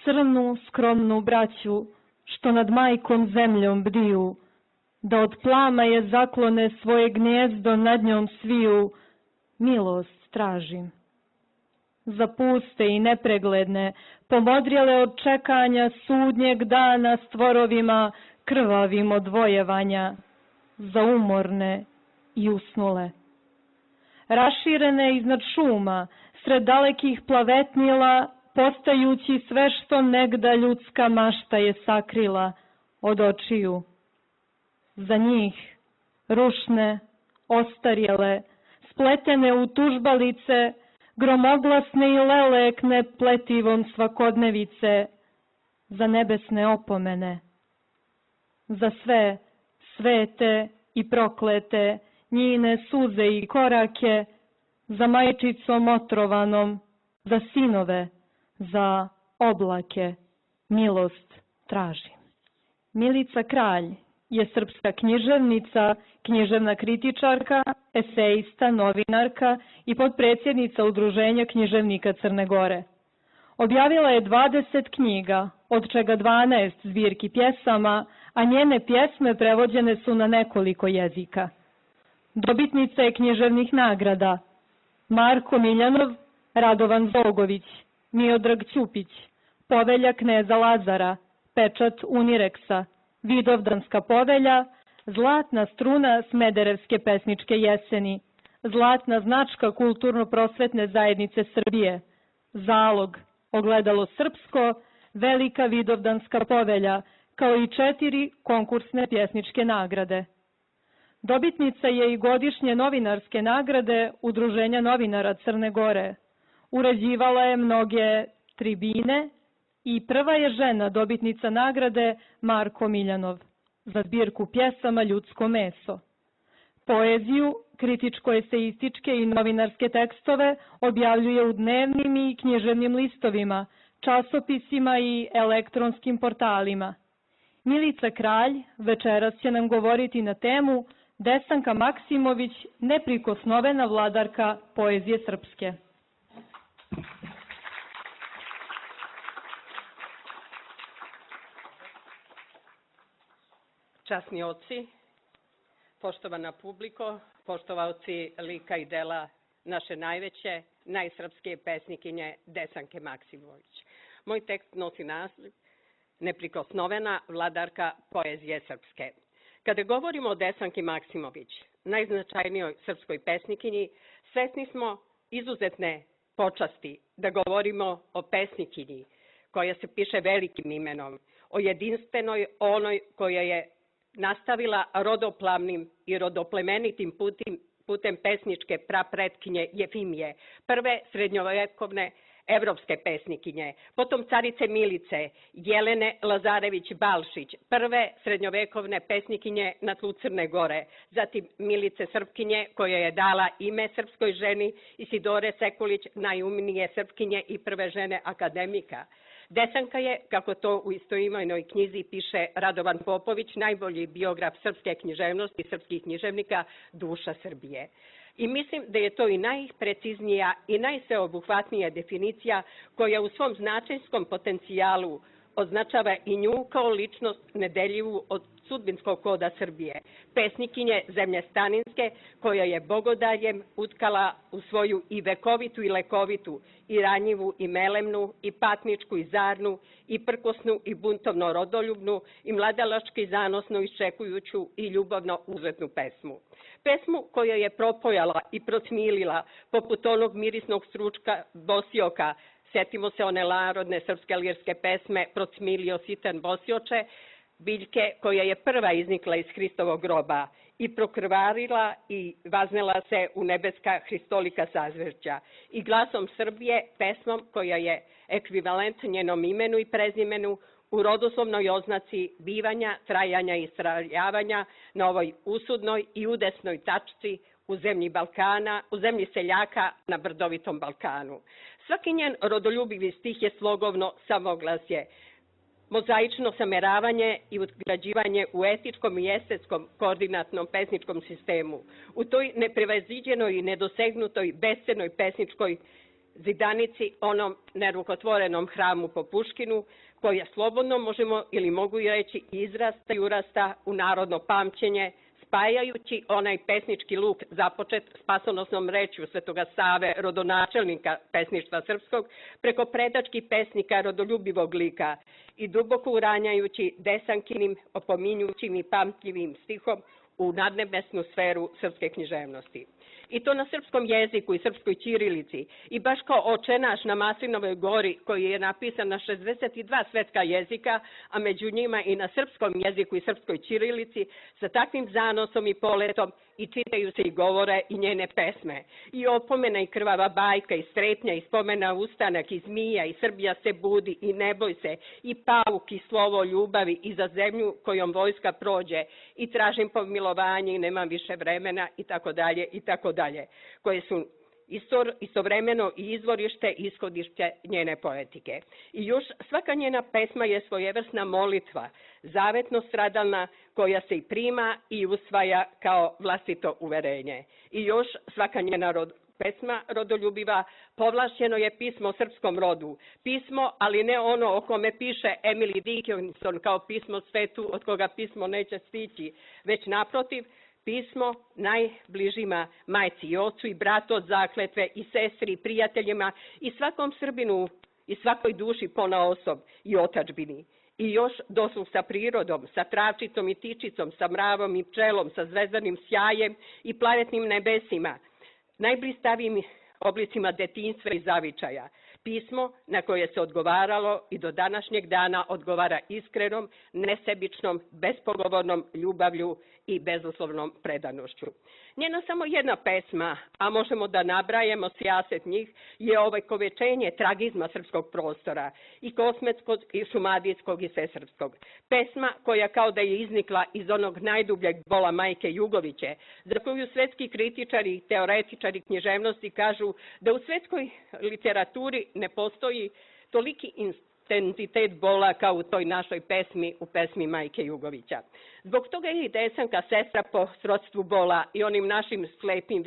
crnu skromnu braću, što nad majkom zemljom bdiju, da od plama je zaklone svoje gnjezdo nad njom sviju, milost tražim. Za puste i nepregledne, pomodrijele od čekanja sudnjeg dana stvorovima krvavim od vojevanja, za umorne i usnule. Raširene iznad šuma, sred dalekih plavetnila, postajući sve što negda ljudska mašta je sakrila od očiju. Za njih, rušne, ostarjele, spletene u tužbalice, gromoglasne i lelekne pletivom svakodnevice, za nebesne opomene. Za sve, svete i proklete, njine suze i korake, za majčicom otrovanom, za sinove, za oblake, milost tražim. Milica Kralj je srpska književnica, književna kritičarka, esejista, novinarka i potpredsjednica Udruženja književnika Crne Gore. Objavila je 20 knjiga, od čega 12 zbirki pjesama, a njene pjesme prevođene su na nekoliko jezika. Dobitnica je književnih nagrada Marko Miljanov, Radovan Zogović, Miodrag Ćupić, Povelja kneza Lazara, Pečat Unireksa, Vidovdanska povelja, Zlatna struna Smederevske pesničke jeseni, Zlatna značka Kulturno-prosvetne zajednice Srbije, Zalog, Ogledalo srpsko, Velika Vidovdanska povelja, kao i 4 konkursne pjesničke nagrade. Dobitnica je i godišnje novinarske nagrade Udruženja novinara Crne Gore. Uređivala je mnoge tribine i prva je žena dobitnica nagrade Marko Miljanov za zbirku pjesama Ljudsko meso. Poeziju, kritičko-eseističke i novinarske tekstove objavljuje u dnevnim i književnim listovima, časopisima i elektronskim portalima. Milica Kralj večeras će nam govoriti na temu Desanka Maksimović, neprikosnovena vladarka poezije srpske. Časni oci, poštovana publiko, poštovaoci lika i dela naše najveće, najsrpske pesnikinje Desanke Maksimović. Moj tekst nosi naslov Neprikosnovena vladarka poezije srpske. Kada govorimo o Desanki Maksimović, najznačajnijoj srpskoj pesnikinji, svesni smo izuzetne počasti da govorimo o pesnikinji koja se piše velikim imenom, o jedinstvenoj onoj koja je nastavila rodoplavnim i rodoplemenitim putem pesničke prapretkinje Jefimije, prve srednjovekovne evropske pesnikinje, potom carice Milice, Jelene Lazarević-Balšić, prve srednjovekovne pesnikinje na tlu Crne Gore, zatim Milice Srpkinje koja je dala ime srpskoj ženi, Isidore Sekulić, najumnije Srpkinje i prve žene akademika. Desanka je, kako to u istoimenoj knjizi piše Radovan Popović, najbolji biograf srpske književnosti i srpskih književnika, duša Srbije. I mislim da je to i najpreciznija i najsveobuhvatnija definicija koja u svom značajskom potencijalu označava i nju kao ličnost nedeljivu od sudbinskog koda Srbije, pesnikinje zemlje Staninske koja je bogodaljem utkala u svoju i vekovitu i lekovitu, i ranjivu i melemnu, i patničku i zarnu, i prkosnu i buntovno rodoljubnu, i mladalački zanosno iščekujuću i ljubavno uzletnu pesmu. Pesmu koja je propojala i procmilila poput onog mirisnog stručka Bosioka. Sjetimo se one narodne srpske lirske pesme Procmilio sitan Bosioče, biljke koja je prva iznikla iz Hristovog groba i prokrvarila i vaznela se u nebeska hristolika sazvežđa i glasom Srbije, pesmom koja je ekvivalent njenom imenu i prezimenu u rodoslovnoj oznaci bivanja, trajanja i straljavanja na ovoj usudnoj i udesnoj tačci u zemlji Balkana, u zemlji seljaka na brdovitom Balkanu. Svaki njen rodoljubivi stih je slogovno samoglasje, mozaično sameravanje i utgrađivanje u etičkom i estetskom koordinatnom pesničkom sistemu. U toj neprevaziđenoj i nedosegnutoj bescenoj pesničkoj zidanici, onom nerukotvorenom hramu po Puškinu, koja slobodno možemo ili mogu reći izrasta i urasta u narodno pamćenje, spajajući onaj pesnički luk započet spasonosnom rečju Svetoga Save, rodonačelnika pesništva srpskog, preko predačkih pesnika rodoljubivog lika i duboko uranjajući Desankinim, opominjućim i pamtljivim stihom u nadnebesnu sferu srpske književnosti. I to na srpskom jeziku i srpskoj ćirilici. I baš kao Oče naš na Maslinovoj gori, koji je napisan na 62 svetska jezika, a među njima i na srpskom jeziku i srpskoj ćirilici, sa takvim zanosom i poletom i čitaju se i govore i njene pesme. I opomena i krvava bajka i strepnja i spomena ustanak i zmija i Srbija se budi i ne boj se i pauk i slovo ljubavi i za zemlju kojom vojska prođe i tražim pomilovanje i nemam više vremena i tako dalje i tako dalje, koje su istovremeno i izvorište i ishodište njene poetike. I još svaka njena pesma je svojevrsna molitva, zavetno stradalna, koja se i prima i usvaja kao vlastito uverenje. I još svaka njena pesma rodoljubiva povlašćeno je pismo o srpskom rodu. Pismo, ali ne ono o kome piše Emily Dickinson kao pismo svetu od koga pismo neće stići, već naprotiv, pismo najbližima, majci i ocu i bratu od zakletve i sestri i prijateljima i svakom Srbinu i svakoj duši ponaosob i otadžbini. I još dosluh sa prirodom, sa travčicom i tičicom, sa mravom i pčelom, sa zvezdanim sjajem i planetnim nebesima, najblistavijim oblicima detinjstva i zavičaja. Pismo na koje se odgovaralo i do današnjeg dana odgovara iskrenom, nesebičnom, bespogovornom ljubavlju i bezuslovnom predanošću. Njena samo jedna pesma, a možemo da nabrajemo sijaset njih, je ovekovečenje tragizma srpskog prostora, i kosmetskog, i šumadijskog, i svesrpskog. Pesma koja kao da je iznikla iz onog najdubljeg bola majke Jugoviće, za koju svetski kritičari i teoretičari književnosti kažu da u svetskoj literaturi ne postoji toliki intenzitet bola kao u toj našoj pesmi, u pesmi majke Jugovića. Zbog toga je i Desanka sestra po srodstvu bola i onim našim slepim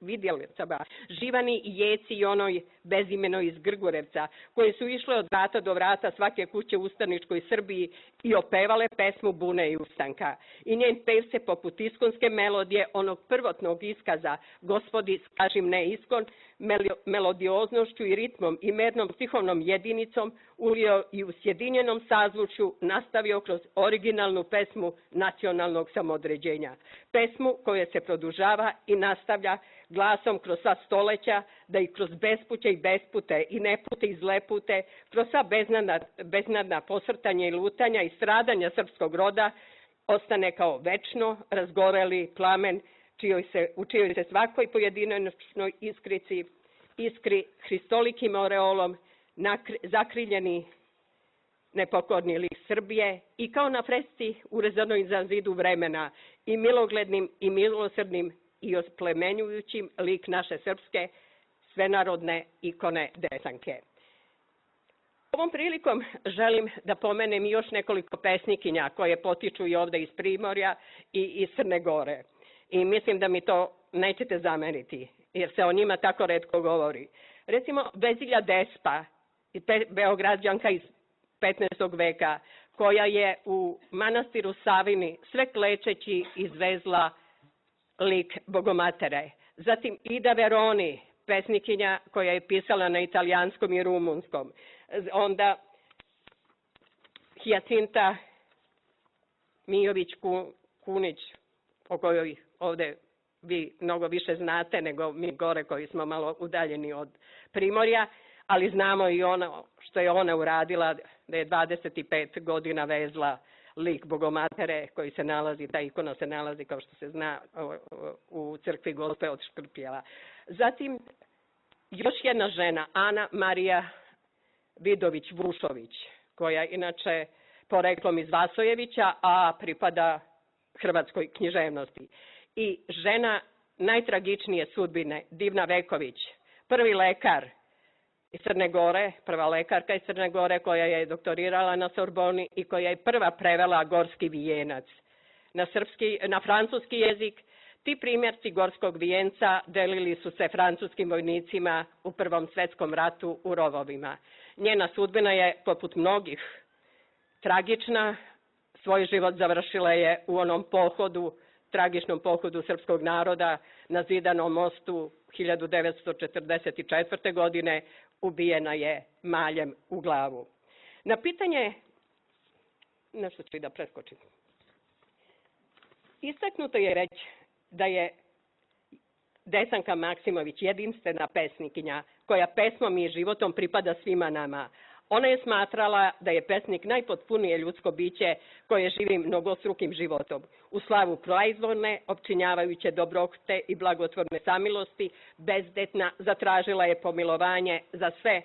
vidjelicama, Živani i Jeci i onoj bezimenoj iz Grgurevca, koje su išle od vrata do vrata svake kuće u ustaničkoj Srbiji i opevale pesmu bune i ustanka. I njen pev se poput iskonske melodije, onog prvotnog iskaza Gospodi skažim ne iskon, melodioznošću i ritmom i mernom stihovnom jedinicom ulio i u sjedinjenom sazvučju nastavio kroz originalnu pesmu nacionalnog samodređenja. Pesmu koja se produžava i nastavlja glasom kroz sva stoleća, da i kroz bespuće i bespute i nepute i zlepute, kroz sva beznadna posrtanja i lutanja i stradanja srpskog roda, ostane kao večno razgoreli plamen u čijoj se svakoj pojedinačnoj iskri hristolikim oreolom zakriljeni nepokorni lik Srbije i kao na fresci urezanoj za zidu vremena i miloglednim i milosrdnim i osplemenjujućim lik naše srpske svenarodne ikone Desanke. Ovom prilikom želim da pomenem još nekoliko pesnikinja koje potiču i ovde iz Primorja i iz Crne Gore. I mislim da mi to nećete zameriti, jer se o njima tako retko govori. Recimo, Vezilja Despa, Beograđanka iz 15. veka, koja je u manastiru Savini sve klečeći izvezla lik Bogomatere. Zatim Ida Veroni, pesnikinja koja je pisala na italijanskom i rumunskom. Onda Hijacinta Mijović-Kunić, o kojoj ovde vi mnogo više znate nego mi gore koji smo malo udaljeni od Primorja, ali znamo i ono što je ona uradila, da je 25 godina vezla lik Bogomatere koji se nalazi, ta ikona se nalazi kao što se zna u crkvi Gospe od Škrpjela. Zatim još jedna žena, Ana Marija Vidović-Vušović, koja je inače poreklom iz Vasojevića, a pripada hrvatskoj književnosti. I žena najtragičnije sudbine, Divna Veković, prvi lekar iz Crne Gore, prva lekarka iz Crne Gore koja je doktorirala na Sorboni i koja je prva prevela Gorski vijenac na francuski jezik. Ti primjerci Gorskog vijenca delili su se francuskim vojnicima u Prvom svjetskom ratu u rovovima. Njena sudbina je, poput mnogih, tragična. Svoj život završila je u onom pohodu, tragičnom pohodu srpskog naroda na Zidanom mostu 1944. godine. Ubijena je maljem u glavu. Na pitanje, nešto ću i da preskočim, istaknuto je već da je Desanka Maksimović jedinstvena pesnikinja koja pesmom i životom pripada svima nama. Ona je smatrala da je pesnik najpotpunije ljudsko biće koje živi mnogostrukim životom. U slavu proizvodne, opčinjavajuće dobrote i blagotvorne samilosti, bezdetna zatražila je pomilovanje za sve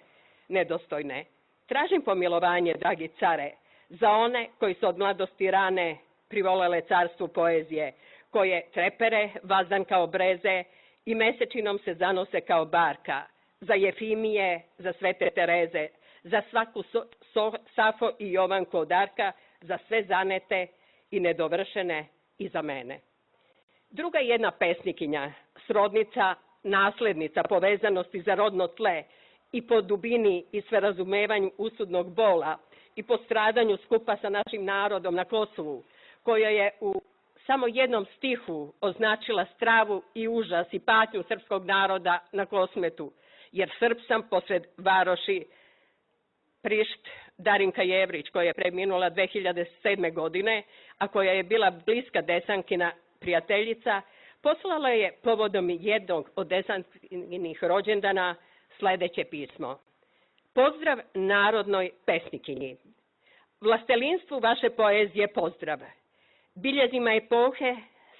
nedostojne. Tražim pomilovanje, dragi care, za one koji su od mladosti rane privolele carstvu poezije, koje trepere vazdan kao breze i mesečinom se zanose kao barka, za Jefimije, za Svete Tereze, za svaku Safo i Jovanku od Arka, za sve zanete i nedovršene i za mene. Druga jedna pesnikinja, srodnica, naslednica povezanosti za rodno tle i po dubini i sverazumevanju usudnog bola i po stradanju skupa sa našim narodom na Kosovu, koja je u samo jednom stihu označila stravu i užas i patnju srpskog naroda na Kosmetu, jer Srb sam posred varoši Prišt, Darinka Jevrić, koja je preminula 2007. godine, a koja je bila bliska Desankina prijateljica, poslala je povodom jednog od Desankinih rođendana sledeće pismo. Pozdrav narodnoj pesnikinji. Vlastelinstvu vaše poezije pozdrav. Biljezima epohe,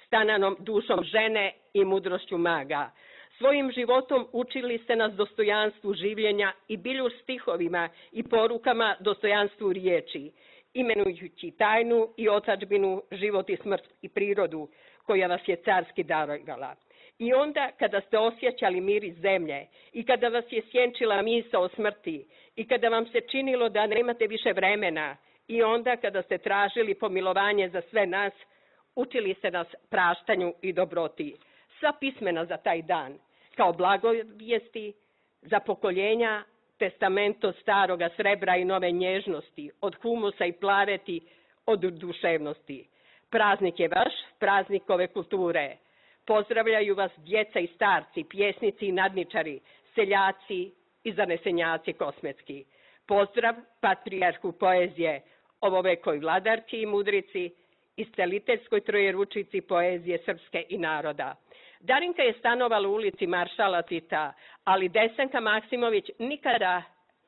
stananom dušom žene i mudrošću maga. Svojim životom učili ste nas dostojanstvu življenja i bilju stihovima i porukama dostojanstvu riječi, imenujući tajnu i otadžbinu, život i smrt i prirodu koja vas je carski darovala. I onda kada ste osjećali miris zemlje i kada vas je sjenčila misao o smrti i kada vam se činilo da nemate više vremena i onda kada ste tražili pomilovanje za sve nas, učili ste nas praštanju i dobroti. Sva pismena za taj dan, kao blagovijesti za pokoljenja, testamento staroga srebra i nove nježnosti, od humusa i plareti, od duševnosti. Praznik je vaš, praznik ove kulture. Pozdravljaju vas djeca i starci, pjesnici i nadničari, seljaci i zanesenjaci kosmetski. Pozdrav patrijarhu poezije, ovovekoj vladarki i mudrici, isceliteljskoj trojeručici poezije srpske i naroda. Darinka je stanovala u ulici Maršala Tita, ali Desanka Maksimović nikada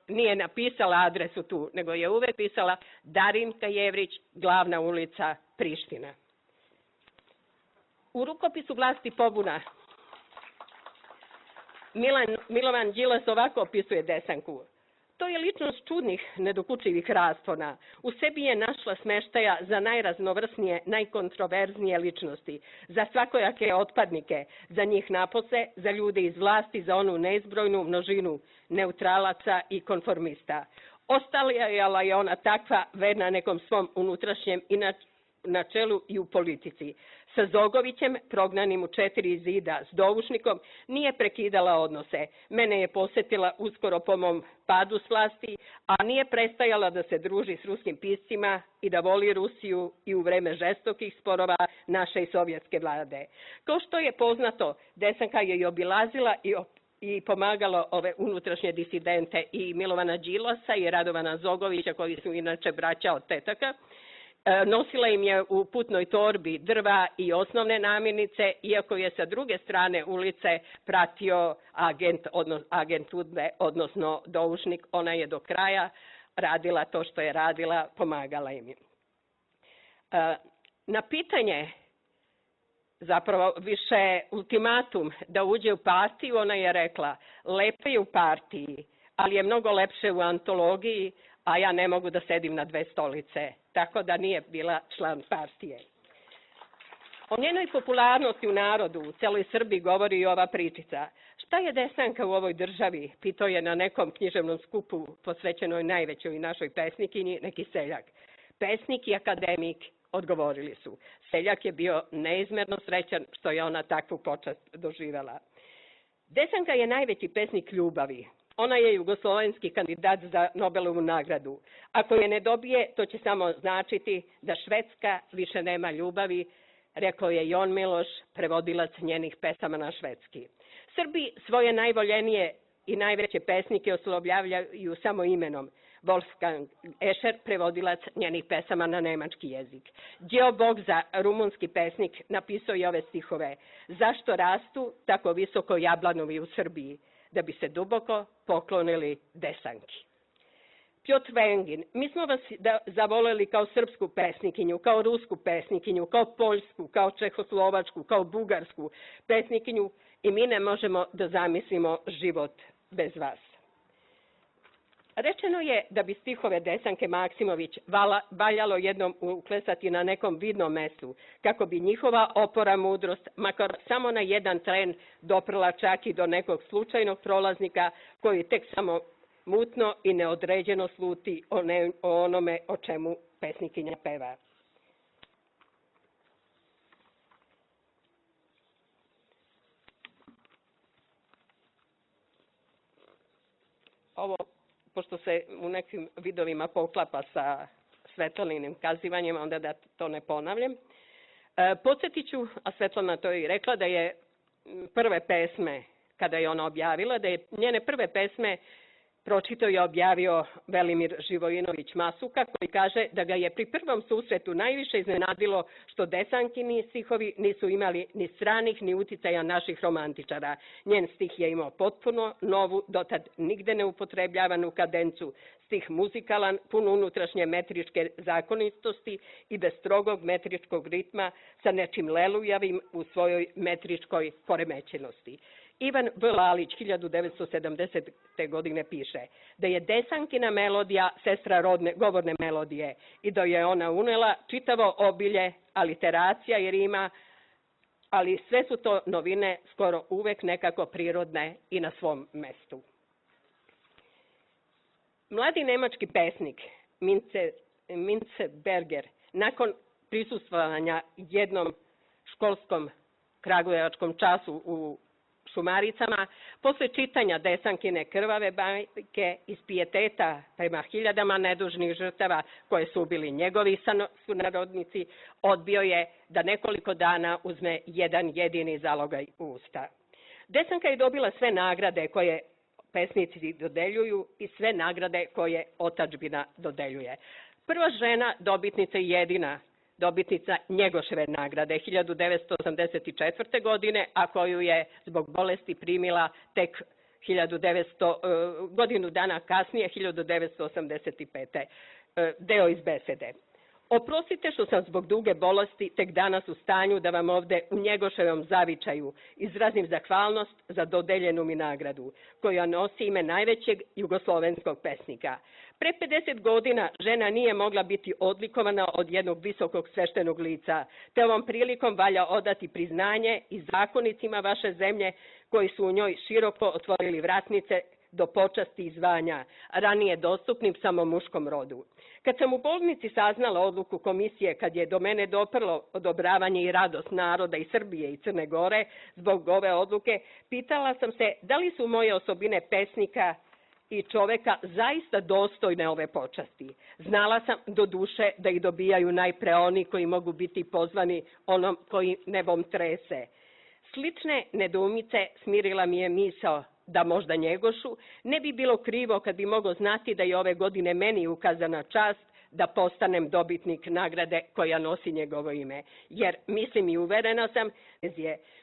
nije napisala adresu tu, nego je uvek pisala Darinka Jevrić, glavna ulica Priština. U rukopisu Vlasti pobuna Milovan Đilas ovako opisuje Desanku. To je ličnost čudnih, nedokučivih raspona. U sebi je našla smeštaja za najraznovrsnije, najkontroverznije ličnosti, za svakojake otpadnike, za njih napose, za ljude iz vlasti, za onu neizbrojnu množinu neutralaca i konformista. Ostalijala je ona takva verna nekom svom unutrašnjem i na čelu i u politici. Sa Zogovićem, prognanim u 4 zida, s Doušnikom, nije prekidala odnose. Mene je posjetila uskoro po mom padu s vlasti, a nije prestajala da se druži s ruskim piscima i da voli Rusiju i u vreme žestokih sporova naše i sovjetske vlade. Kao što je poznato, Desanka je i obilazila i pomagala ove unutrašnje disidente i Milovana Đilasa i Radovana Zogovića, koji su inače braća od tetaka. Nosila im je u putnoj torbi drva i osnovne namirnice, iako je sa druge strane ulice pratio agent UDBE, odnosno Doušnik. Ona je do kraja radila to što je radila, pomagala im. Na pitanje, zapravo više ultimatum da uđe u partiju, ona je rekla: lepo je u partiji, ali je mnogo lepše u antologiji, a ja ne mogu da sedim na dve stolice. Tako da nije bila član partije. O njenoj popularnosti u narodu, u celoj Srbiji, govori i ova pričica. Šta je Desanka u ovoj državi? Pitao je na nekom književnom skupu posvećenoj najvećoj našoj pesnikinji neki seljak. Pesnik i akademik, odgovorili su. Seljak je bio neizmerno srećan što je ona takvu počast doživela. Desanka je najveći pesnik ljubavi. Ona je jugoslovenski kandidat za Nobelovu nagradu. Ako je ne dobije, to će samo značiti da Švedska više nema ljubavi, rekao je Jon Miloš, prevodilac njenih pesama na švedski. Srbi svoje najvoljenije i najveće pesnike oslovljavaju samo imenom. Wolfgang Escher, prevodilac njenih pesama na nemački jezik. Đeo Bogza, rumunski pesnik, napisao je ove stihove. Zašto rastu tako visoko jablanovi u Srbiji? Da bi se duboko poklonili Desanki. Pjotr Vengin, mi smo vas zavoleli kao srpsku pesnikinju, kao rusku pesnikinju, kao poljsku, kao čehoslovačku, kao bugarsku pesnikinju i mi ne možemo da zamislimo život bez vas. Rečeno je da bi stihove Desanke Maksimović valjalo jednom uklesati na nekom vidnom mestu, kako bi njihova opora mudrost, makar samo na jedan tren, doprla čak i do nekog slučajnog prolaznika koji tek samo mutno i neodređeno sluti o onome o čemu pesnikinja peva. Ovo, pošto se u nekim vidovima poklapa sa Svetlaninim kazivanjem, onda da to ne ponavljam. Podsjetit ću, a Svetlana to i rekla, da je prve pesme, kada je ona objavila, da je njene prve pesme pročitao i objavio Velimir Živojinović Masuka, koji kaže da ga je pri prvom susretu najviše iznenadilo što Desankini stihovi nisu imali ni stranih ni uticaja naših romantičara. Njen stih je imao potpuno novu, dotad nigde ne upotrebljavanu kadencu, stih muzikalan, pun unutrašnje metričke zakonitosti i bez strogog metričkog ritma sa nečim lelujavim u svojoj metričkoj poremećenosti. Ivan V. Lalić 1970. godine piše da je Desankina melodija sestra govorne melodije i da je ona unela čitavo obilje, aliteracija i rima, ali sve su to novine skoro uvek nekako prirodne i na svom mestu. Mladi nemački pesnik Mince Berger, nakon prisustvovanja jednom školskom kragujevačkom času u Šumaricama, posle čitanja Desankine krvave bajke iz pijeteta prema hiljadama nedužnih žrtava koje su ubili njegovi sunarodnici, odbio je da nekoliko dana uzme jedan jedini zalogaj u usta. Desanka je dobila sve nagrade koje pesnici dodeljuju i sve nagrade koje otadžbina dodeljuje. Prva žena, dobitnica i jedina dobitnica Njegoševe nagrade 1984. godine, a koju je zbog bolesti primila tek godinu dana kasnije, 1985. Deo iz besede. Oprostite što sam zbog duge bolesti tek danas u stanju da vam ovde u Njegoševom zavičaju izrazim zahvalnost za dodeljenu mi nagradu, koja nosi ime najvećeg jugoslovenskog pesnika. Pre 50 godina žena nije mogla biti odlikovana od jednog visokog sveštenog lica, te ovom prilikom valja odati priznanje i zakonicima vaše zemlje koji su u njoj široko otvorili vratnice do počasti i zvanja, ranije dostupnim samo muškom rodu. Kad sam u bolnici saznala odluku komisije, kad je do mene doprlo odobravanje i radost naroda i Srbije i Crne Gore zbog ove odluke, pitala sam se da li su moje osobine pesnika i čoveka zaista dostojne ove počasti. Znala sam do duše da ih dobijaju najpre oni koji mogu biti pozvani onom koji nebom trese. Slične nedoumice smirila mi je misao da možda Njegošu ne bi bilo krivo kad bi mogao znati da je ove godine meni ukazana čast da postanem dobitnik nagrade koja nosi njegovo ime. Jer mislim i uverena sam,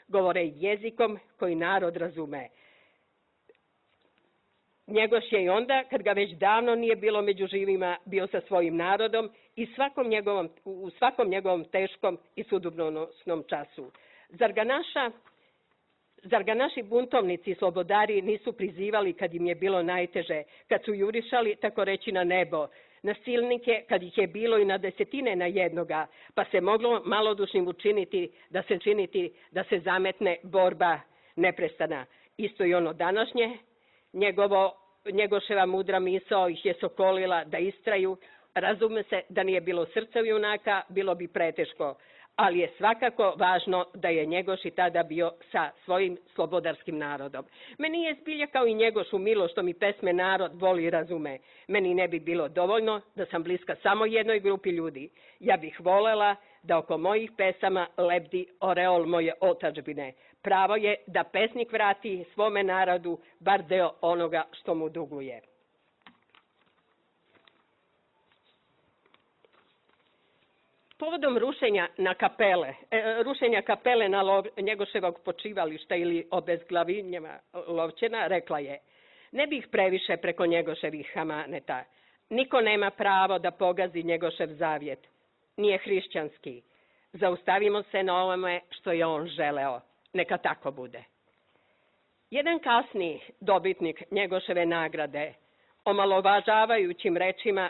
govore jezikom koji narod razume. Njegoš je i onda, kad ga već davno nije bilo među živima, bio sa svojim narodom i u svakom njegovom teškom i sudbonosnom času. Zar ga naši buntovnici i slobodari nisu prizivali kad im je bilo najteže, kad su jurišali, tako reći, na nebo, na silnike, kad ih je bilo i na desetine na jednoga, pa se moglo malodušnim učiniti da se zametne borba neprestana. Isto i ono današnje, njegoševa mudra misao ih je sokolila da istraju. Razume se da nije bilo srca junaka, bilo bi preteško, ali je svakako važno da je Njegoš i tada bio sa svojim slobodarskim narodom. Meni je zbilja kao i Njegošu milo što mi pesme narod voli i razume. Meni ne bi bilo dovoljno da sam bliska samo jednoj grupi ljudi. Ja bih volela da oko mojih pesama lebdi oreol moje otadžbine. Pravo je da pesnik vrati svome narodu bar deo onoga što mu duguje. Povodom rušenja kapele na Njegoševog počivališta ili obezglavinjeva Lovćena, rekla je: ne bih previše preko Njegoševih hamaneta. Niko nema pravo da pogazi Njegošev zavjet. Nije hrišćanski. Zaustavimo se na ovome što je on želeo. Neka tako bude. Jedan kasni dobitnik Njegoševe nagrade omalovažavajućim rečima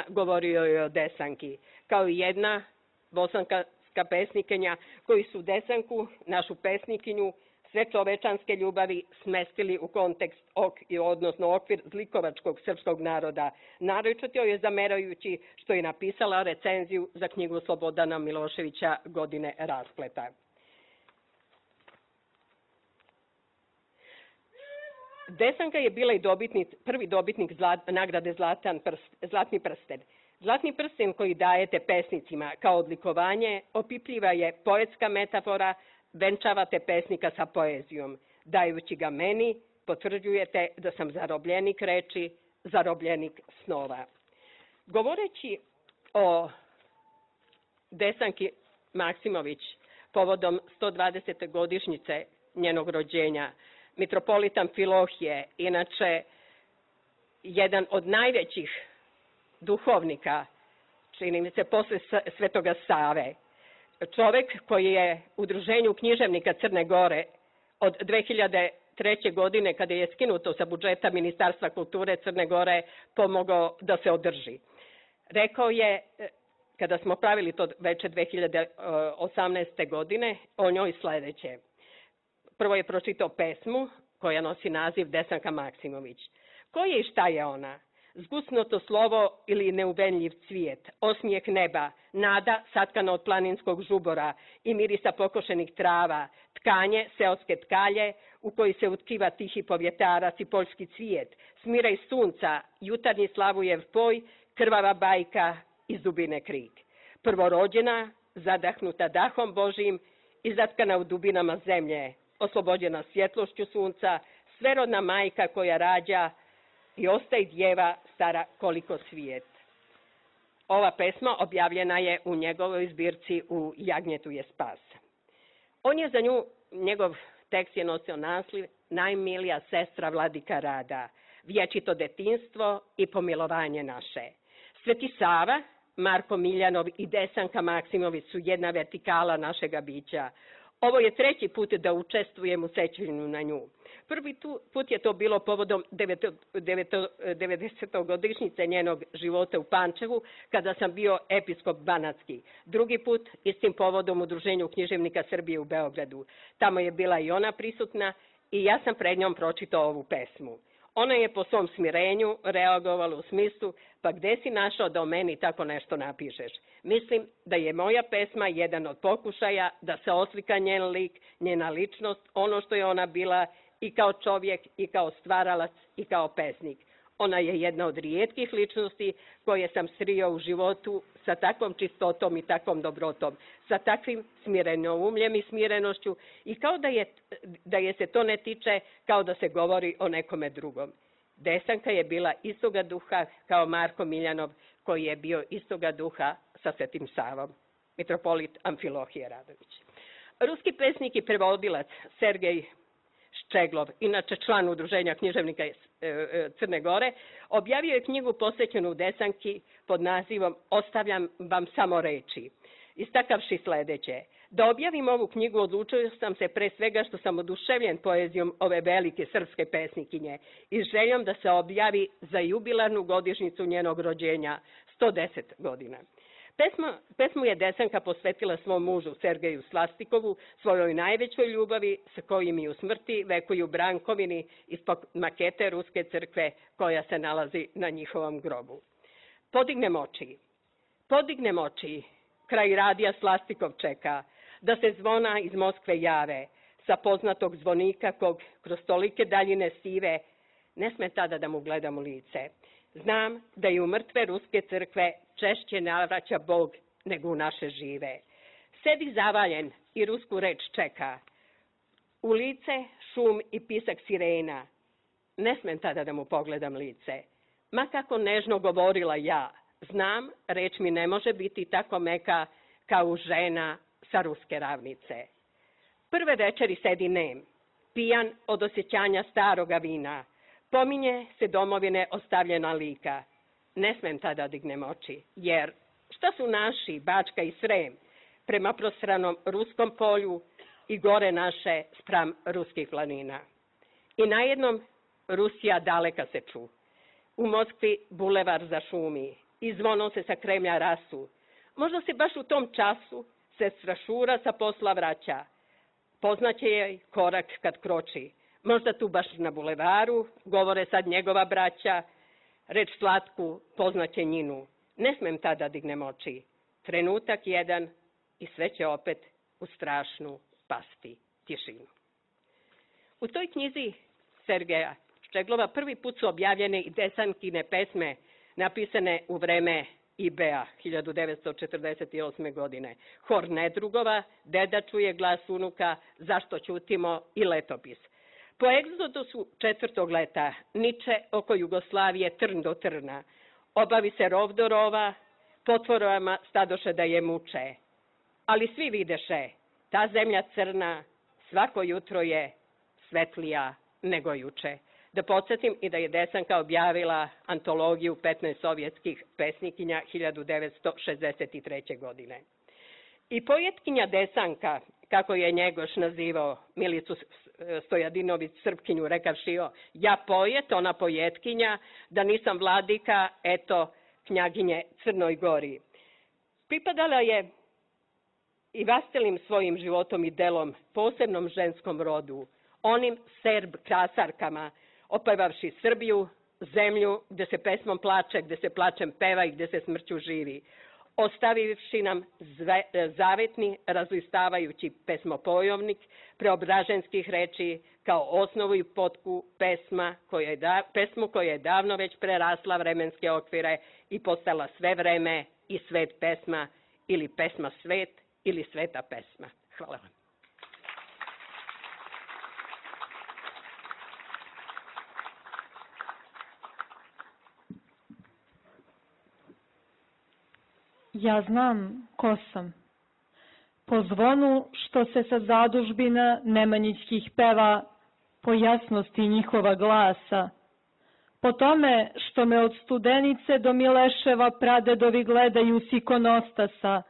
govorio je o Desanki, kao i jedna bosanska pesnikinja koji su Desanku, našu pesnikinju, sve čovečanske ljubavi smestili u kontekst, odnosno okvir zlikovačkog srpskog naroda, naročito je zamerajući što je napisala recenziju za knjigu Slobodana Miloševića Godine raspleta. Desanka je bila i prvi dobitnik nagrade Zlatni prsten. Zlatni prsten koji dajete pesnicima kao odlikovanje opipljiva je poetska metafora, venčavate pesnika sa poezijom. Dajući ga meni, potvrđujete da sam zarobljenik reči, zarobljenik snova. Govoreći o Desanki Maksimović povodom 120. godišnjice njenog rođenja, mitropolit Amfilohije, inače jedan od najvećih duhovnika, čini mi se posle Svetoga Save, čovek koji je Udruženju književnika Crne Gore od 2003. godine, kada je skinuto sa budžeta Ministarstva kulture Crne Gore, pomogao da se održi. Rekao je, kada smo pravili to veče 2018. godine, o njoj sledeće. Prvo je pročitao pesmu koja nosi naziv Desanka Maksimović. Ko je i šta je ona? Zgusnuto slovo ili neuvenljiv cvijet, osmijeh neba, nada satkana od planinskog žubora i mirisa pokošenih trava, tkanje, seoske tkalje u koji se utkiva tihi povjetarac i poljski cvijet, smiraj sunca, jutarnji Slavujev poj, krvava bajka iz dubine krik. Prvorođena, zadahnuta dahom Božijim i zatkana u dubinama zemlje, oslobođena svjetlošću sunca, sverodna majka koja rađa i ostaje djeva stara koliko svijet. Ova pesma objavljena je u njegovoj zbirci U jagnjetu je spas. On je za nju, njegov tekst je nosio naslov Najmilija sestra vladika rada, vječito detinstvo i pomilovanje naše. Sveti Sava, Marko Miljanov i Desanka Maksimović su jedna vertikala našega bića. Ovo je treći put da učestvujem u sećanju na nju. Prvi put je to bilo povodom 90. godišnjice njenog života u Pančevu, kada sam bio episkop Banatski. Drugi put istim povodom Udruženju književnika Srbije u Beogradu. Tamo je bila i ona prisutna i ja sam pred njom pročitao ovu pesmu. Ona je po svom smirenju reagovala u smislu, pa gde si našao da o meni tako nešto napišeš? Mislim da je moja pesma jedan od pokušaja da se oslika njen lik, njena ličnost, ono što je ona bila i kao čovjek, i kao stvaralac, i kao pesnik. Ona je jedna od rijetkih ličnosti koje sam srio u životu sa takvom čistotom i takvom dobrotom, sa takvim smirenoumljem i smirenošću i kao da je se to ne tiče, kao da se govori o nekome drugom. Desanka je bila istoga duha kao Marko Miljanov, koji je bio istoga duha sa Svetim Savom, mitropolit Amfilohije Radović. Ruski pesnik i prevodilac Sergej Ščeglov, inače član Udruženja književnika Crne Gore, objavio je knjigu posvećenu Desanki pod nazivom Ostavljam vam samo reči, istakavši sledeće. Da objavim ovu knjigu odlučio sam se pre svega što sam oduševljen poezijom ove velike srpske pesnikinje i željom da se objavi za jubilarnu godišnjicu njenog rođenja, 110 godina. Pesmu je Desanka posvetila svom mužu Sergeju Slastikovu, svojoj najvećoj ljubavi sa kojim i u smrti vekuju Brankovini ispod makete Ruske crkve koja se nalazi na njihovom grobu. Podignem oči, kraj radija Slastikov čeka, da se zvona iz Moskve jave, sa poznatog zvonika kog kroz tolike daljine sive, ne sme tada da mu gledam u lice. Znam da i u mrtve Ruske crkve češće navraća Bog nego u naše žive. Sedi zavaljen i rusku reč čeka. U lice šum i pisak sirena. Ne smem tada da mu pogledam lice. Ma kako nežno govorila ja, znam, reč mi ne može biti tako meka kao žena sa ruske ravnice. Prve večeri sedi nem, pijan od osjećanja staroga vina. Pominje se domovine ostavljena lika. Ne smem tada dignem oči, jer šta su naši, Bačka i Srem, prema prosranom ruskom polju i gore naše spram ruskih planina. I najednom Rusija daleka se ču. U Moskvi bulevar zašumi i zvono se sa Kremlja rasu. Možda se baš u tom času sestra Šura sa posla vraća. Poznaće je korak kad kroči. Možda tu baš na bulevaru govore sad njegova braća, reč slatku poznaće njinu. Ne smem tada dignem oči. Trenutak jedan i sve će opet u strašnu pasti tišinu. U toj knjizi Sergeja Ščeglova prvi put su objavljene i Desankine pesme napisane u vreme IB-a 1948. godine. Hor Nedrugova, Deda čuje glas unuka, Zašto ćutimo i Letopis. Po egzodusu 4. leta niče oko Jugoslavije trn do trna. Obavi se rov do rova, potvorama stadoše da je muče. Ali svi videše, ta zemlja crna svako jutro je svetlija nego juče. Da podsjetim i da je Desanka objavila antologiju 15 sovjetskih pesnikinja 1963. godine. I poetkinja Desanka, kako je Njegoš nazivao Milicu Stojadinović Srpkinju, rekavši ja poet, ona poetkinja, da nisam vladika, eto, knjaginje Crnoj Gori. Pripadala je i vastelim svojim životom i delom posebnom ženskom rodu, onim Serb krasarkama, opevavši Srbiju, zemlju gde se pesmom plače, gde se plačem peva i gde se smrću živi, ostavivši nam zavetni, razlistavajući pesmopojovnik preobraženskih reči kao osnovu i potku pesmu koja je davno već prerasla vremenske okvire i postala sve vreme i svet pesma ili pesma svet ili sveta pesma. Hvala vam. Ja znam ko sam. Po zvonu što se sa zadužbina Nemanjićkih peva, po jasnosti njihova glasa, po tome što me od Studenice do Mileševa pradedovi gledaju s ikonostasa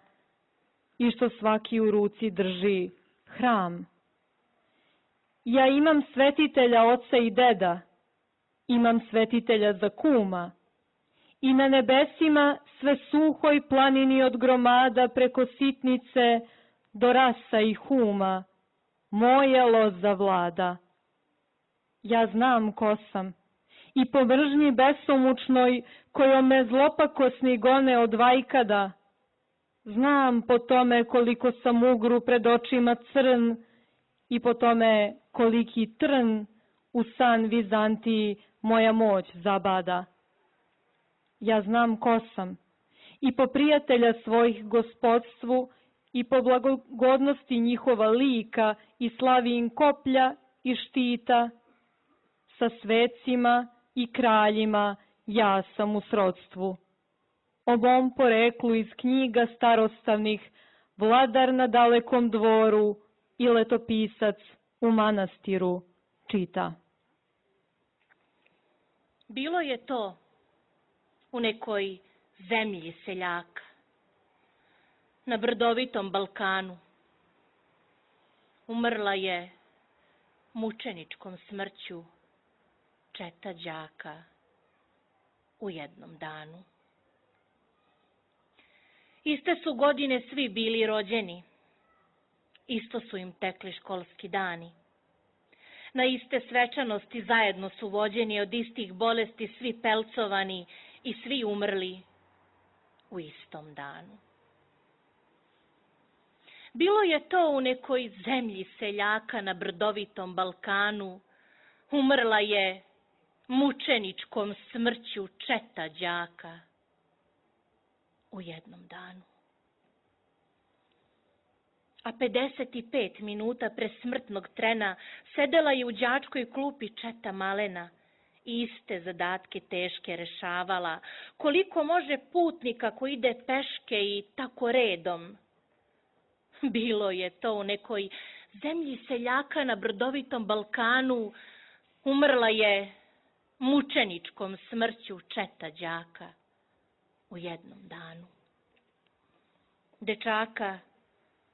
i što svaki u ruci drži hram. Ja imam svetitelja oca i deda, imam svetitelja za kuma, i na nebesima sve suhoj planini od gromada preko sitnice do rasa i huma, moja loza vlada. Ja znam ko sam i po mržnji besomučnoj kojom me zlopakosni gone od vajkada, znam po tome koliko sam ugru pred očima crn i po tome koliki trn u san Vizantiji moja moć zabada. Ja znam ko sam i po prijatelja svojih gospodstvu i po blagogodnosti njihova lika i slavin koplja i štita, sa svecima i kraljima ja sam u srodstvu. O mom poreklu iz knjiga starostavnih, vladar na dalekom dvoru i letopisac u manastiru čita. Bilo je to u nekoj zemlji seljaka, na brdovitom Balkanu. Umrla je mučeničkom smrću četa đaka u jednom danu. Iste su godine svi bili rođeni, isto su im tekli školski dani. Na iste svečanosti zajedno su vođeni, od istih bolesti svi pelcovani i svi umrli u istom danu. Bilo je to u nekoj zemlji seljaka na brdovitom Balkanu. Umrla je mučeničkom smrću četa đaka u jednom danu. A 55 minuta pre smrtnog trena sedela je u đačkoj klupi četa malena i iste zadatke teške rešavala. Koliko može putnika ko ide peške i tako redom? Bilo je to u nekoj zemlji seljaka na brdovitom Balkanu. Umrla je mučeničkom smrću četa đaka u jednom danu. Dečaka,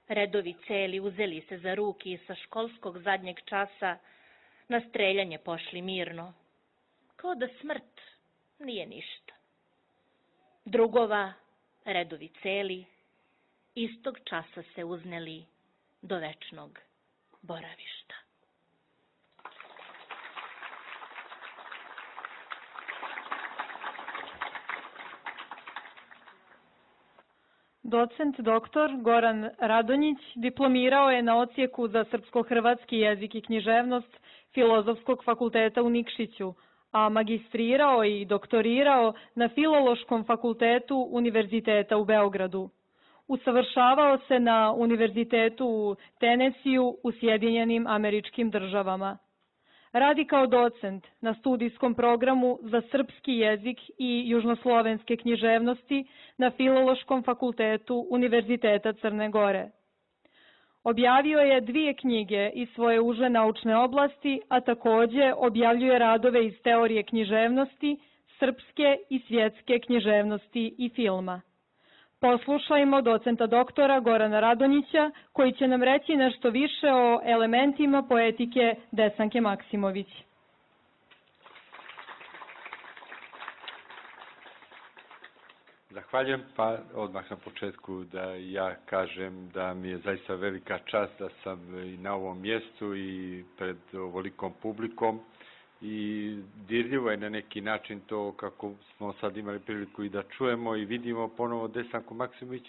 redovi celi, uzeli se za ruki i sa školskog zadnjeg časa na streljanje pošli mirno, kao da smrt nije ništa. Drugova, redovi celi, istog časa se uzneli do večnog boravišta. Docent doktor Goran Radonjić diplomirao je na odsjeku za srpsko-hrvatski jezik i književnost Filozofskog fakulteta u Nikšiću, a magistrirao i doktorirao na Filološkom fakultetu Univerziteta u Beogradu. Usavršavao se na Univerzitetu u Tenesiju u Sjedinjenim Američkim Državama. Radi kao docent na studijskom programu za srpski jezik i južnoslovenske književnosti na Filološkom fakultetu Univerziteta Crne Gore. Objavio je 2 knjige iz svoje uže naučne oblasti, a takođe objavljuje radove iz teorije književnosti, srpske i svjetske književnosti i filma. Poslušajmo docenta doktora Gorana Radonjića, koji će nam reći nešto više o elementima poetike Desanke Maksimović. Zahvaljujem, pa odmah na početku da ja kažem da mi je zaista velika čast da sam i na ovom mjestu i pred ovolikom publikom i dirljivo je na neki način to kako smo sad imali priliku i da čujemo i vidimo ponovo Desanku Maksimović,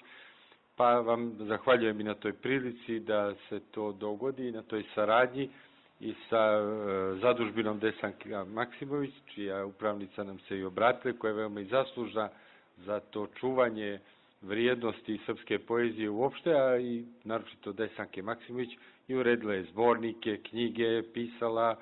pa vam zahvaljujem i na toj prilici da se to dogodi i na toj saradnji i sa zadužbinom Desanka Maksimović, čija upravnica nam se i obratila, koja je veoma i zaslužna za to čuvanje vrijednosti srpske poezije uopšte, a i naročito Desanke Maksimović, i uredila je zbornike, knjige, pisala,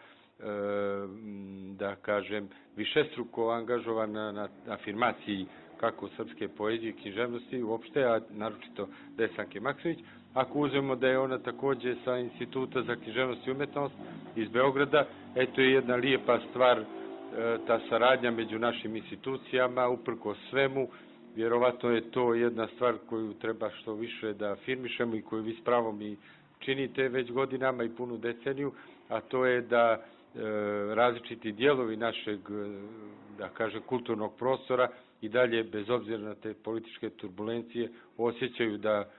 da kažem, višestruko angažovana na afirmaciji kako srpske poezije i književnosti uopšte, a naročito Desanke Maksimović. Ako uzmemo da je ona takođe sa Instituta za književnost i umetnost iz Beograda, eto je jedna lijepa stvar ta saradnja među našim institucijama, uprkos svemu. Vjerovatno je to jedna stvar koju treba što više da afirmišemo i koju vi s pravom i činite već godinama i punu deceniju, a to je da različiti dijelovi našeg, da kažem, kulturnog prostora i dalje, bez obzira na te političke turbulencije, osjećaju da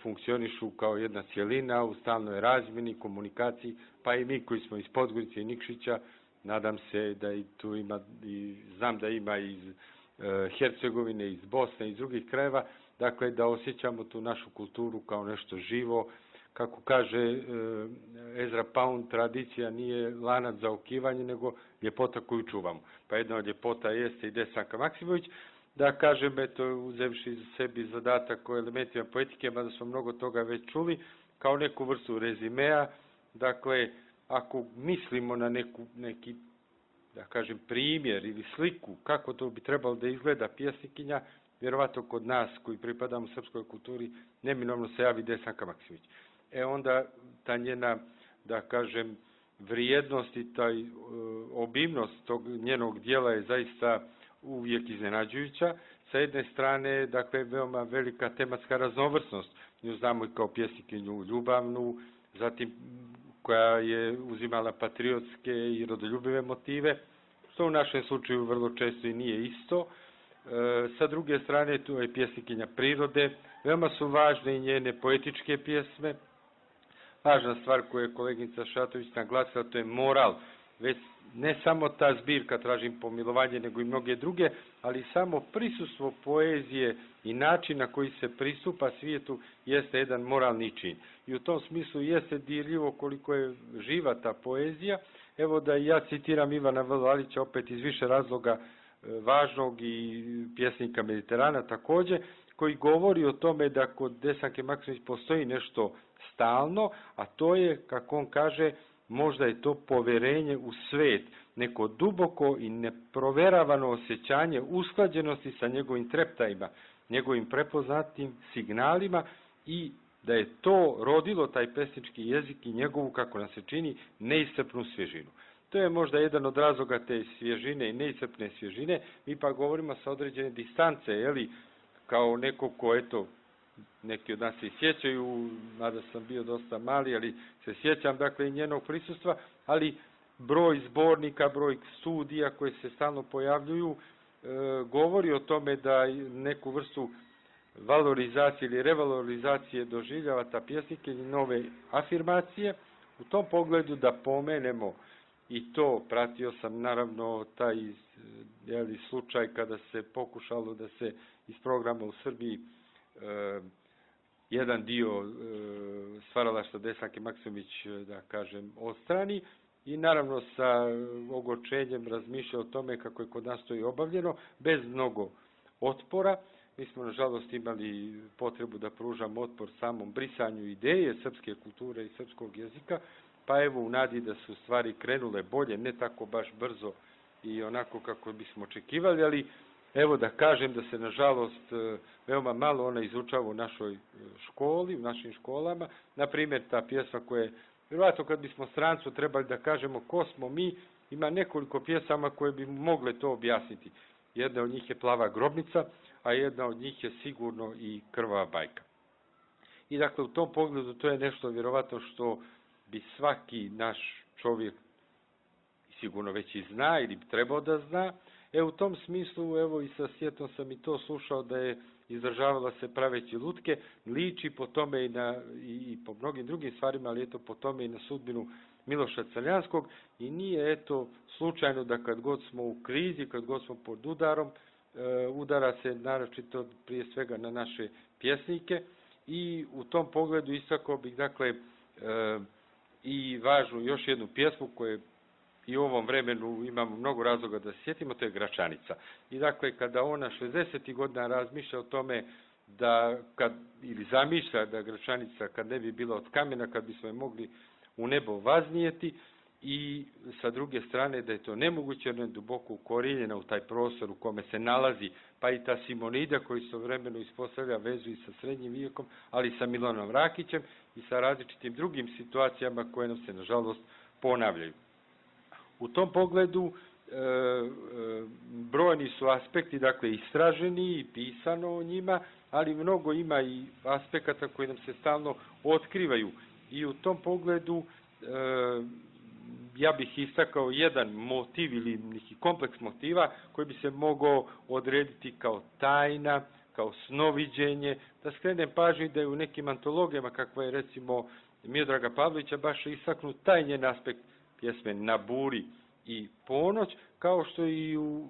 funkcionišu kao jedna cijelina u stalnoj razmjeni, komunikaciji, pa i mi koji smo iz Podgorice i Nikšića, nadam se da i tu ima, i znam da ima iz Hercegovine, iz Bosne i iz drugih krajeva, dakle da osjećamo tu našu kulturu kao nešto živo. Kako kaže Ezra Pound, tradicija nije lanac za okivanje, nego ljepota koju čuvamo. Pa jedna od ljepota jeste i Desanka Maksimović. Da kažem, eto, uzevši sebi zadatak o elementima poetike, mada smo mnogo toga već čuli, kao neku vrstu rezimea, dakle, ako mislimo na neki, da kažem, primjer ili sliku kako to bi trebalo da izgleda pjesnikinja, vjerovatno kod nas koji pripadamo srpskoj kulturi, neminovno se javi Desanka Maksimović. Onda ta njena, da kažem, vrijednost i taj obimnost tog njenog dijela je zaista uvijek iznenađujuća. Sa jedne strane, dakle, veoma velika tematska raznovrsnost. Nju znamo i kao pjesnikinju ljubavnu, zatim koja je uzimala patriotske i rodoljubive motive, što u našem slučaju vrlo često i nije isto. Sa druge strane, tu je pjesnikinja prirode, veoma su važne i njene poetičke pjesme. Važna stvar koju je koleginica Šatović naglasila, to je moral. Već ne samo ta zbirka Tražim pomilovanje, nego i mnoge druge, ali samo prisustvo poezije i način na koji se pristupa svijetu jeste jedan moralni čin. I u tom smislu jeste dirljivo koliko je živa ta poezija. Evo da ja citiram Ivana Vlalića opet iz više razloga važnog i pjesnika Mediterana također, koji govori o tome da kod Desanke Maksimović postoji nešto stalno, a to je, kako on kaže, možda je to poverenje u svet, neko duboko i neproveravano osjećanje usklađenosti sa njegovim treptajima, njegovim prepoznatim signalima i da je to rodilo taj pesnički jezik i njegovu, kako nam se čini, neiscrpnu svježinu. To je možda jedan od razloga te svježine i neiscrpne svježine. Mi pa govorimo sa određene distance, jeli, kao neko ko, eto, neki od nas se sjećaju, mada sam bio dosta mali, ali se sjećam, dakle, i njenog prisustva, ali broj zbornika, broj studija koje se stalno pojavljuju, govori o tome da neku vrstu valorizacije ili revalorizacije doživljava ta pjesnika i nove afirmacije. U tom pogledu da pomenemo i to, pratio sam naravno taj slučaj kada se pokušalo da se iz programa u Srbiji jedan dio stvaralaštva Desanke Maksimović, da kažem, odstrani i naravno sa ogorčenjem razmišlja o tome kako je kod nas to i obavljeno, bez mnogo otpora. Mi smo, nažalost, imali potrebu da pružamo otpor samom brisanju ideje srpske kulture i srpskog jezika, pa evo u nadi da su stvari krenule bolje, ne tako baš brzo i onako kako bismo očekivali, ali evo da kažem da se, nažalost, veoma malo ona izučava u našoj školi, u našim školama. Naprimjer, ta pjesma koja je, vjerojatno kad bismo strancu trebali da kažemo ko smo mi, ima nekoliko pjesama koje bi mogle to objasniti. Jedna od njih je Plava grobnica, a jedna od njih je sigurno i Krvava bajka. I dakle, u tom pogledu to je nešto vjerovatno što bi svaki naš čovjek sigurno već i zna ili bi trebao da zna. U tom smislu, evo i sa sjetom sam i to slušao da je izražavala se praveći lutke, liči po tome i po mnogim drugim stvarima, ali eto po tome i na sudbinu Miloša Crnjanskog i nije eto slučajno da kad god smo u krizi, kad god smo pod udarom, udara se naročito prije svega na naše pjesnike i u tom pogledu istakao bih dakle i važnu još jednu pjesmu koju i u ovom vremenu imamo mnogo razloga da se sjetimo, to je Gračanica. I dakle, kada ona 60. godina razmišlja o tome da, ili zamišlja da Gračanica kad ne bi bila od kamena, kad bismo je mogli u nebo vaznijeti i sa druge strane da je to nemoguće, jer je duboko ukorijenjena u taj prostor u kome se nalazi, pa i ta Simonida koji se u vremenu ispostavlja vezu i sa srednjim vijekom, ali i sa Milanom Rakićem i sa različitim drugim situacijama koje nam se, nažalost, ponavljaju. U tom pogledu brojni su aspekti, dakle, istraženi i pisano o njima, ali mnogo ima i aspekata koji nam se stalno otkrivaju. I u tom pogledu ja bih istakao jedan motiv ili neki kompleks motiva koji bi se mogao odrediti kao tajna, kao snoviđenje, da skrenem pažnju da je u nekim antologijama, kakva je recimo Miodraga Pavlovića, baš istaknut taj njen aspekt pjesme Na buri i Ponoć, kao što i u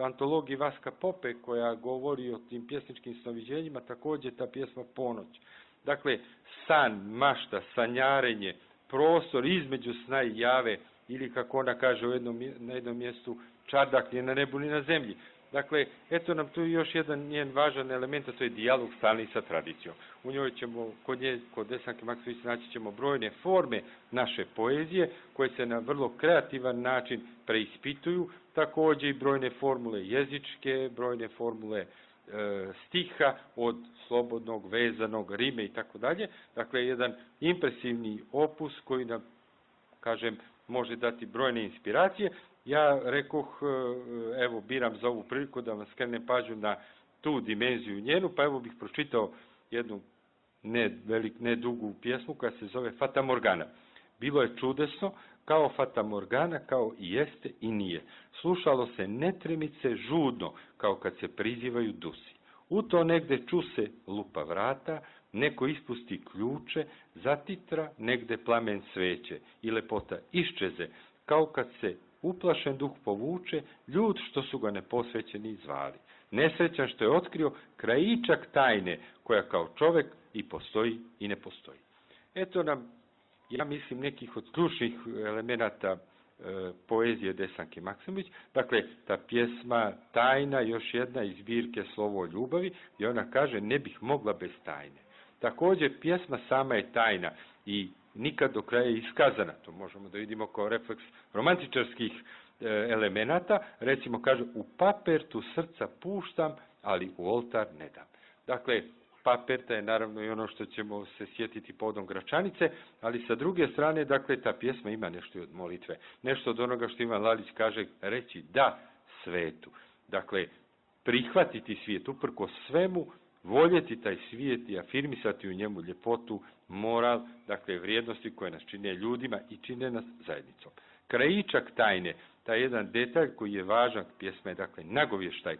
antologiji Vaska Pope koja govori o tim pjesničkim snoviđenjima, također ta pjesma Ponoć. Dakle, san, mašta, sanjarenje, prostor između sna i jave, ili kako ona kaže na jednom mjestu, čardak ni na nebu ni na zemlji. Dakle, eto nam tu još jedan njen važan element, a to je dijalog stalni sa tradicijom. U njoj ćemo, kod Desanke Maksimović, naći ćemo brojne forme naše poezije, koje se na vrlo kreativan način preispituju, također i brojne formule jezičke, brojne formule stiha, od slobodnog, vezanog, rime i tako dalje. Dakle, jedan impresivni opus koji nam, kažem, može dati brojne inspiracije. Ja rekoh, evo, biram za ovu priliku da vam skrenem pažnju na tu dimenziju njenu, pa evo bih pročitao jednu ne dugu pjesmu koja se zove Fata Morgana. Bilo je čudesno, kao Fata Morgana, kao i jeste i nije. Slušalo se netremice žudno, kao kad se prizivaju dusi. U to negde ču se lupa vrata, neko ispusti ključe, zatitra negde plamen sveće i lepota iščeze, kao kad se uplašen duh povuče, ljud što su ga neposvećeni zvali. Nesrećan što je otkrio krajičak tajne, koja kao čovek i postoji i ne postoji. Eto nam, ja mislim, nekih od ključnih elemenata poezije Desanke Maksimović. Dakle, ta pjesma Tajna, još jedna iz zbirke Slovo o ljubavi, i ona kaže ne bih mogla bez tajne. Također, pjesma sama je tajna i nikad do kraja iskazana. To možemo da vidimo kao refleks romantičarskih elemenata. Recimo, kaže, u papertu srca puštam, ali u oltar ne dam. Dakle, paperta je naravno i ono što ćemo se sjetiti povodom Gračanice, ali sa druge strane, dakle, ta pjesma ima nešto od molitve. Nešto od onoga što Ivan Lalić kaže, reći da svetu. Dakle, prihvatiti svijet, uprko svemu, voljeti taj svijet i afirmisati u njemu ljepotu, moral, dakle, vrijednosti koje nas čine ljudima i čine nas zajednicom. Krajičak tajne, taj jedan detalj koji je važan, pjesma je, dakle, nagovještaj.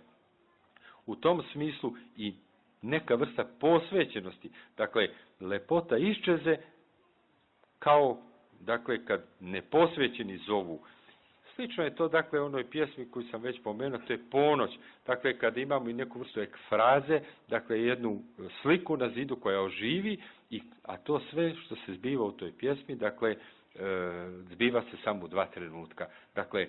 U tom smislu i neka vrsta posvećenosti, dakle, lepota iščeze kao, dakle, kad neposvećeni zovu. Slično je to, dakle, onoj pjesmi koju sam već pomenuo, to je Ponoć. Dakle, kada imamo i neku vrstu ekfraze, dakle, jednu sliku na zidu koja oživi, a to sve što se zbiva u toj pjesmi, dakle, zbiva se samo u 2 trenutka. Dakle,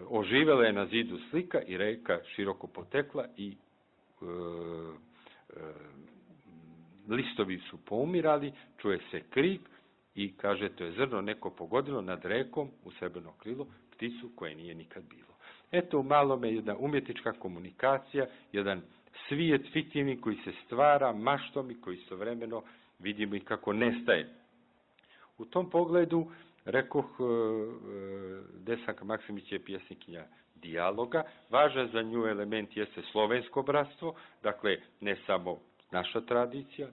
oživela je na zidu slika i reka široko potekla i listovi su poumirali, čuje se krik i kaže, to je zrno neko pogodilo nad rekom u srebrno krilo pticu koje nije nikad bilo. Eto, u malome jedna umjetnička komunikacija, jedan svijet fiktivni koji se stvara maštom i koji istovremeno vidimo i kako nestaje. U tom pogledu, rekoh, Desanka Maksimović je pjesnikinja dijaloga. Važan za nju element jeste slovensko bratstvo, dakle, ne samo naša tradicija.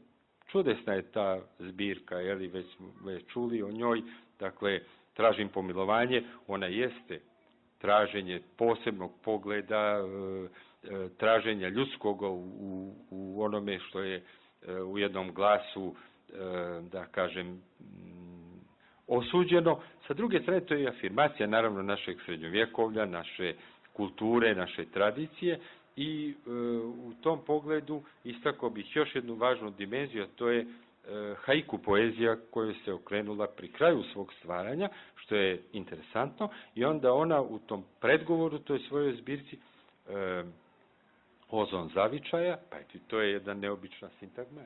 Čudesna je ta zbirka, već smo čuli o njoj, dakle, Tražim pomilovanje, ona jeste traženje posebnog pogleda, traženja ljudskog u onome što je u jednom glasu, da kažem, osuđeno. Sa druge strane, to je afirmacija, naravno, našeg srednjovjekovlja, naše kulture, naše tradicije i u tom pogledu istakao bih još jednu važnu dimenziju, a to je haiku poezija koju se okrenula pri kraju svog stvaranja, što je interesantno, i onda ona u tom predgovoru toj svojoj zbirci Ozon zavičaja, pa to je jedna neobična sintagma,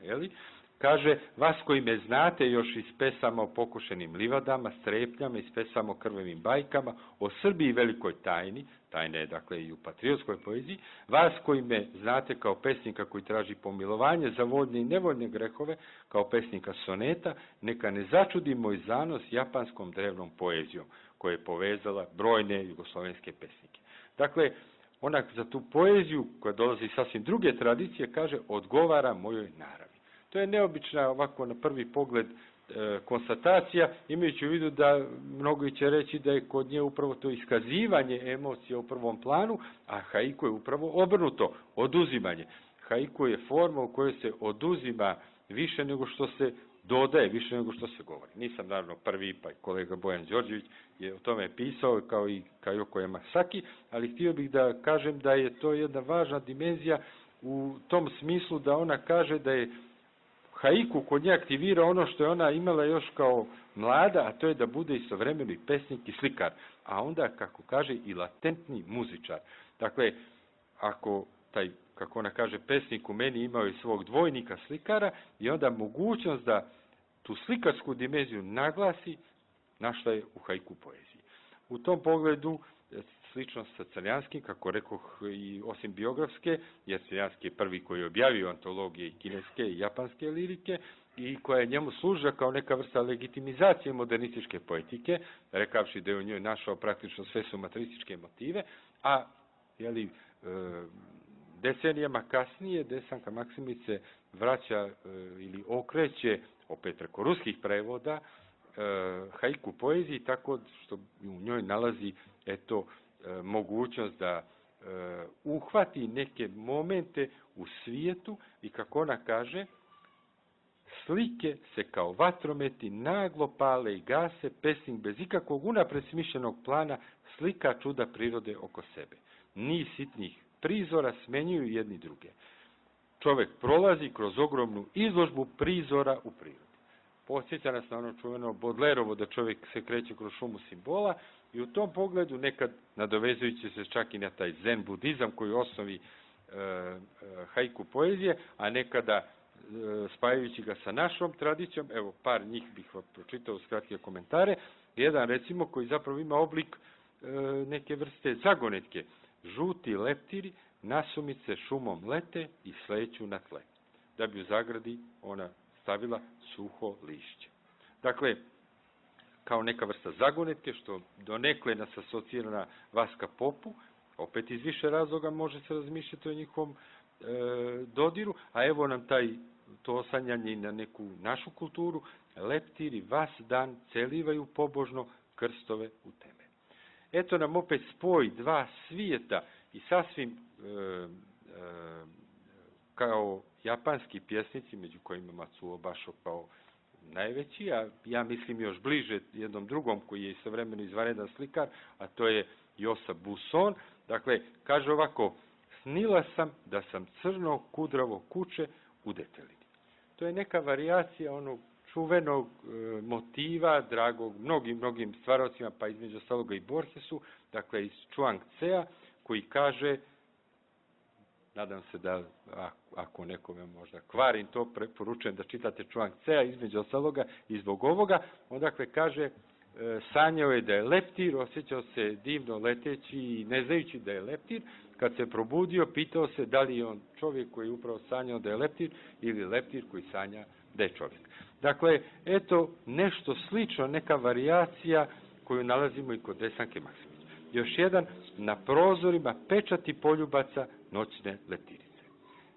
kaže, vas koji me znate još iz pesama o pokošenim livadama, strepnjama, iz pesama o krvavim bajkama, o Srbiji velikoj tajni, tajna je, dakle, i u patriotskoj poeziji, vas koji me znate kao pesnika koji traži pomilovanje za voljne i nevoljne grehove, kao pesnika soneta, neka ne začudi moj zanos japanskom drevnom poezijom, koja je povezala brojne jugoslovenske pesnike. Dakle, ona za tu poeziju, koja dolazi iz sasvim druge tradicije, kaže, odgovara mojoj naravi. To je neobična, ovako na prvi pogled, konstatacija, imajući u vidu da mnogi će reći da je kod nje upravo to iskazivanje emocija u prvom planu, a haiku je upravo obrnuto, oduzimanje. Haiku je forma u kojoj se oduzima više nego što se dodaje, više nego što se govori. Nisam naravno prvi, pa i kolega Bojan Đorđević je o tome pisao, kao i Kajoko Yamasaki, ali htio bih da kažem da je to jedna važna dimenzija u tom smislu da ona kaže da je haiku kod nje aktivira ono što je ona imala još kao mlada, a to je da bude istovremeno i pesnik i slikar, a onda, kako kaže, i latentni muzičar. Dakle, ako taj, kako ona kaže, pesnik u meni imao i svog dvojnika slikara i onda mogućnost da tu slikarsku dimenziju naglasi, našla je u haiku poeziji. U tom pogledu, slično sa Crnjanskim, kako rekoh, i osim biografske, jer Crnjanski je prvi koji je objavio antologije i kineske i japanske lirike, i koja je njemu služila kao neka vrsta legitimizacije modernističke poetike, rekavši da je u njoj našao praktično sve sumatrističke motive, a decenijama kasnije Desanka Maksimović se vraća ili okreće, opet preko ruskih prevoda, haiku poeziji, tako što u njoj nalazi mogućnost da uhvati neke momente u svijetu i, kako ona kaže, slike se kao vatrometi naglo pale i gase, pesnik bez ikakvog unapred smišljenog plana slika čuda prirode oko sebe. Niz sitnih prizora smenjuju jedni druge. Čovek prolazi kroz ogromnu izložbu prizora u prirodi. Podsjeća nas na ono čuveno Bodlerovo da čovjek se kreće kroz šumu simbola i u tom pogledu, nekad nadovezujući se čak i na taj zen budizam koji je u osnovi haiku poezije, a nekada spajajući ga sa našom tradicijom, evo par njih bih vam pročitao uz kratke komentare. Jedan recimo koji zapravo ima oblik neke vrste zagonetke. Žuti leptiri nasumice šumom lete i sleću na tle. Da bi u zagradi ona stavila suho lišće. Dakle, kao neka vrsta zagonetke, što donekle nas asocira na Vaska Popu, opet iz više razloga može se razmišljati o njihovom dodiru, a evo nam to osanjanje na neku našu kulturu, leptiri vas dan celivaju pobožno krstove u teme. Eto nam opet spoj dva svijeta i sasvim kao japanski pjesnici, među kojima Matsuo Basho kao najveći, a ja mislim još bliže jednom drugom koji je istovremeno izvanredan slikar, a to je Josa Buson. Dakle, kaže ovako: snila sam da sam crno kudravo kuće u Detelini. To je neka varijacija onog čuvenog motiva, dragog mnogim stvarocima, pa između ostaloga i Borgesu, dakle iz Chuang Tsea, koji kaže, nadam se da ako nekome možda kvarim to, preporučujem da čitate Chuang Tsea između ostaloga i zbog ovoga, on dakle kaže, sanjao je da je leptir, osjećao se divno leteći i ne znajući da je leptir, kad se probudio, pitao se da li je on čovjek koji je upravo sanjao da je leptir ili leptir koji sanja da je čovjek. Dakle, eto nešto slično, neka varijacija koju nalazimo i kod Desanke Maksimović. Još jedan, na prozorima pečati poljubaca noćne leptirice.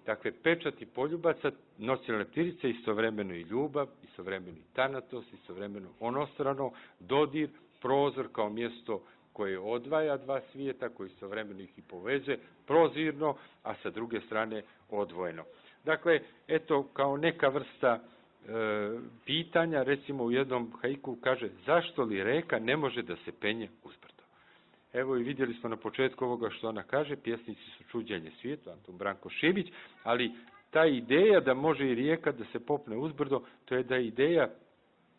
Dakle, pečati poljubaca noćne leptirice, istovremeno i ljubav, istovremeno i tanatos, istovremeno onostrano, dodir, prozor kao mjesto koje odvaja dva svijeta, koji istovremeno ih i povezuje, prozirno, a sa druge strane odvojeno. Dakle, eto, kao neka vrsta pitanja, recimo u jednom haiku kaže, zašto li reka ne može da se penje uzbrdo? Evo i vidjeli smo na početku ovoga što ona kaže, pjesnici su čuđenje svijetu, Antun Branko Šibić, ali ta ideja da može i rijeka da se popne uzbrdo, to je da je ideja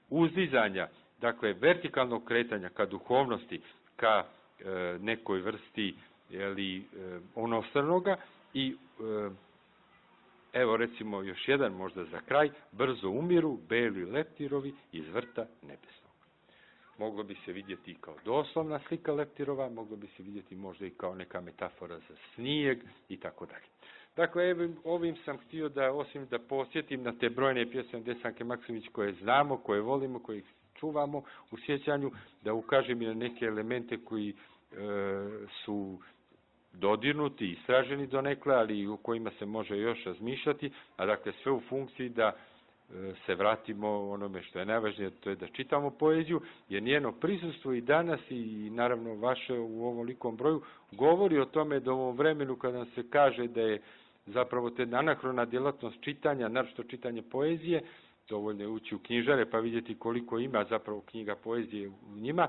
uzdizanja, dakle vertikalnog kretanja ka duhovnosti, ka nekoj vrsti onostranoga i evo recimo još jedan možda za kraj, brzo umiru beli leptirovi iz vrta nebesnog. Moglo bi se vidjeti i kao doslovna slika leptirova, moglo bi se vidjeti možda i kao neka metafora za snijeg i tako dalje. Dakle, ovim sam htio da, osim da posjetim na te brojne pjesme Desanke Maksimović koje znamo, koje volimo, koje čuvamo u sjećanju, da ukažem i na neke elemente koji su dodirnuti, istraženi donekle, ali u kojima se može još razmišljati, a dakle sve u funkciji da se vratimo onome što je najvažnije, to je da čitamo poeziju, jer njeno prisustvo i danas i naravno vaše u ovom likom broju govori o tome da u ovom vremenu kada nam se kaže da je zapravo te anahrona djelatnost čitanja, naročito čitanje poezije, dovoljno je ući u knjižare pa vidjeti koliko ima zapravo knjiga poezije u njima,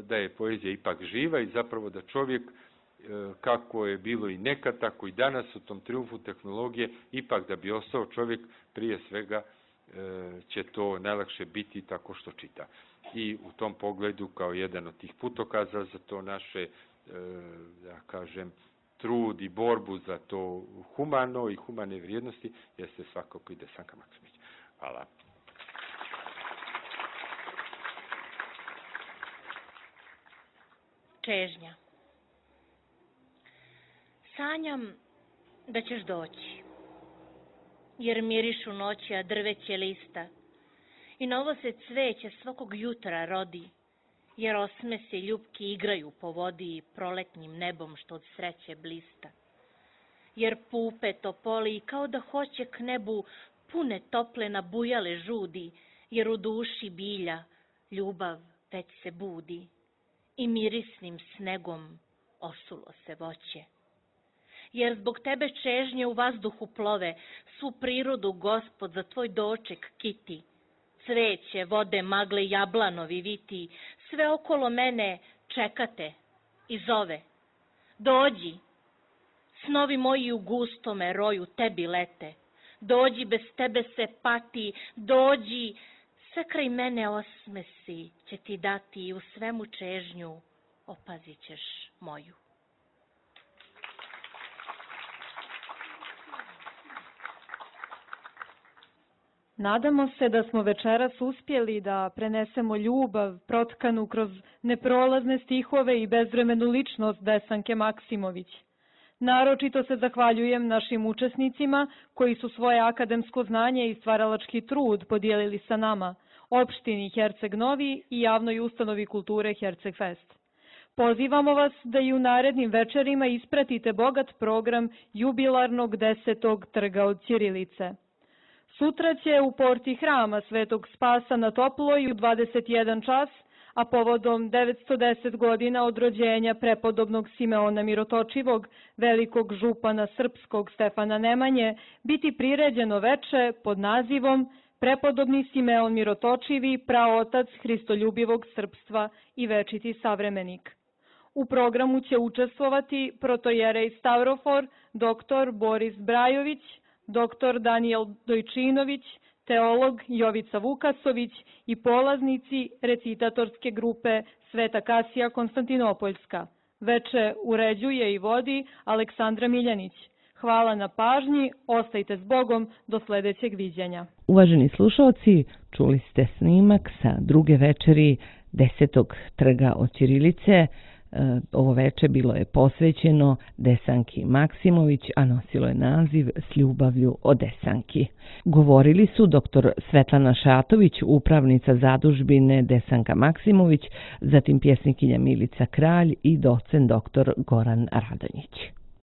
da je poezija ipak živa i zapravo da čovjek, kako je bilo i nekad, tako i danas u tom triumfu tehnologije, ipak da bi ostao čovjek, prije svega će to najlakše biti tako što čita. I u tom pogledu, kao jedan od tih putokaza za to naše, da kažem, trud i borbu za to humano i humane vrijednosti, jeste svakako i Desanka Maksimović. Hvala. Čežnja. Sanjam da ćeš doći. jer mirišu noća drveće lista. I novo se cveće svakog jutra rodi, jer osmesi ljubki igraju po vodi proletnjim nebom što od sreće blista. Jer pupe topoli kao da hoće k nebu pune tople nabujale žudi, jer u duši bilja ljubav već se budi i mirisnim snegom osulo se voće. Jer zbog tebe čežnje u vazduhu plove, svu prirodu Gospod za tvoj doček kiti. Cveće, vode, magle, jablanovi viti, sve okolo mene čekate i zove. Dođi, snovi moji u gustome roju tebi lete. Dođi, bez tebe se pati, dođi, sve kraj mene osmesi će ti dati i u svemu čežnju opazit ćeš moju. Nadamo se da smo večeras uspjeli da prenesemo ljubav protkanu kroz neprolazne stihove i bezvremenu ličnost Desanke Maksimović. Naročito se zahvaljujem našim učesnicima koji su svoje akademsko znanje i stvaralački trud podijelili sa nama, opštini Herceg Novi i javnoj ustanovi kulture Herceg Fest. Pozivamo vas da i u narednim večerima ispratite bogat program jubilarnog 10. trga od ćirilice. Sutra će u porti hrama Svetog Spasa na Toploj u 21 čas, a povodom 910 godina od rođenja prepodobnog Simeona Mirotočivog, velikog župana srpskog Stefana Nemanje, biti priređeno veče pod nazivom Prepodobni Simeon Mirotočivi, praotac hristoljubivog srpstva i večiti savremenik. U programu će učestvovati protojerej Stavrofor, dr. Boris Brajović, dr. Danijel Dojčinović, teolog Jovica Vukasović i polaznici recitatorske grupe Sveta Kasija Konstantinopoljska. Veče uređuje i vodi Aleksandra Miljanić. Hvala na pažnji, ostajte s Bogom do sljedećeg viđenja. Uvaženi slušalci, čuli ste snimak sa druge večeri 10. trga od ćirilice. Ovo veče bilo je posvećeno Desanki Maksimović, a nosilo je naziv S ljubavlju o Desanki. Govorili su dr. Svetlana Šatović, upravnica zadužbine Desanka Maksimović, zatim pjesnikinja Milica Kralj i docent dr. Goran Radonjić.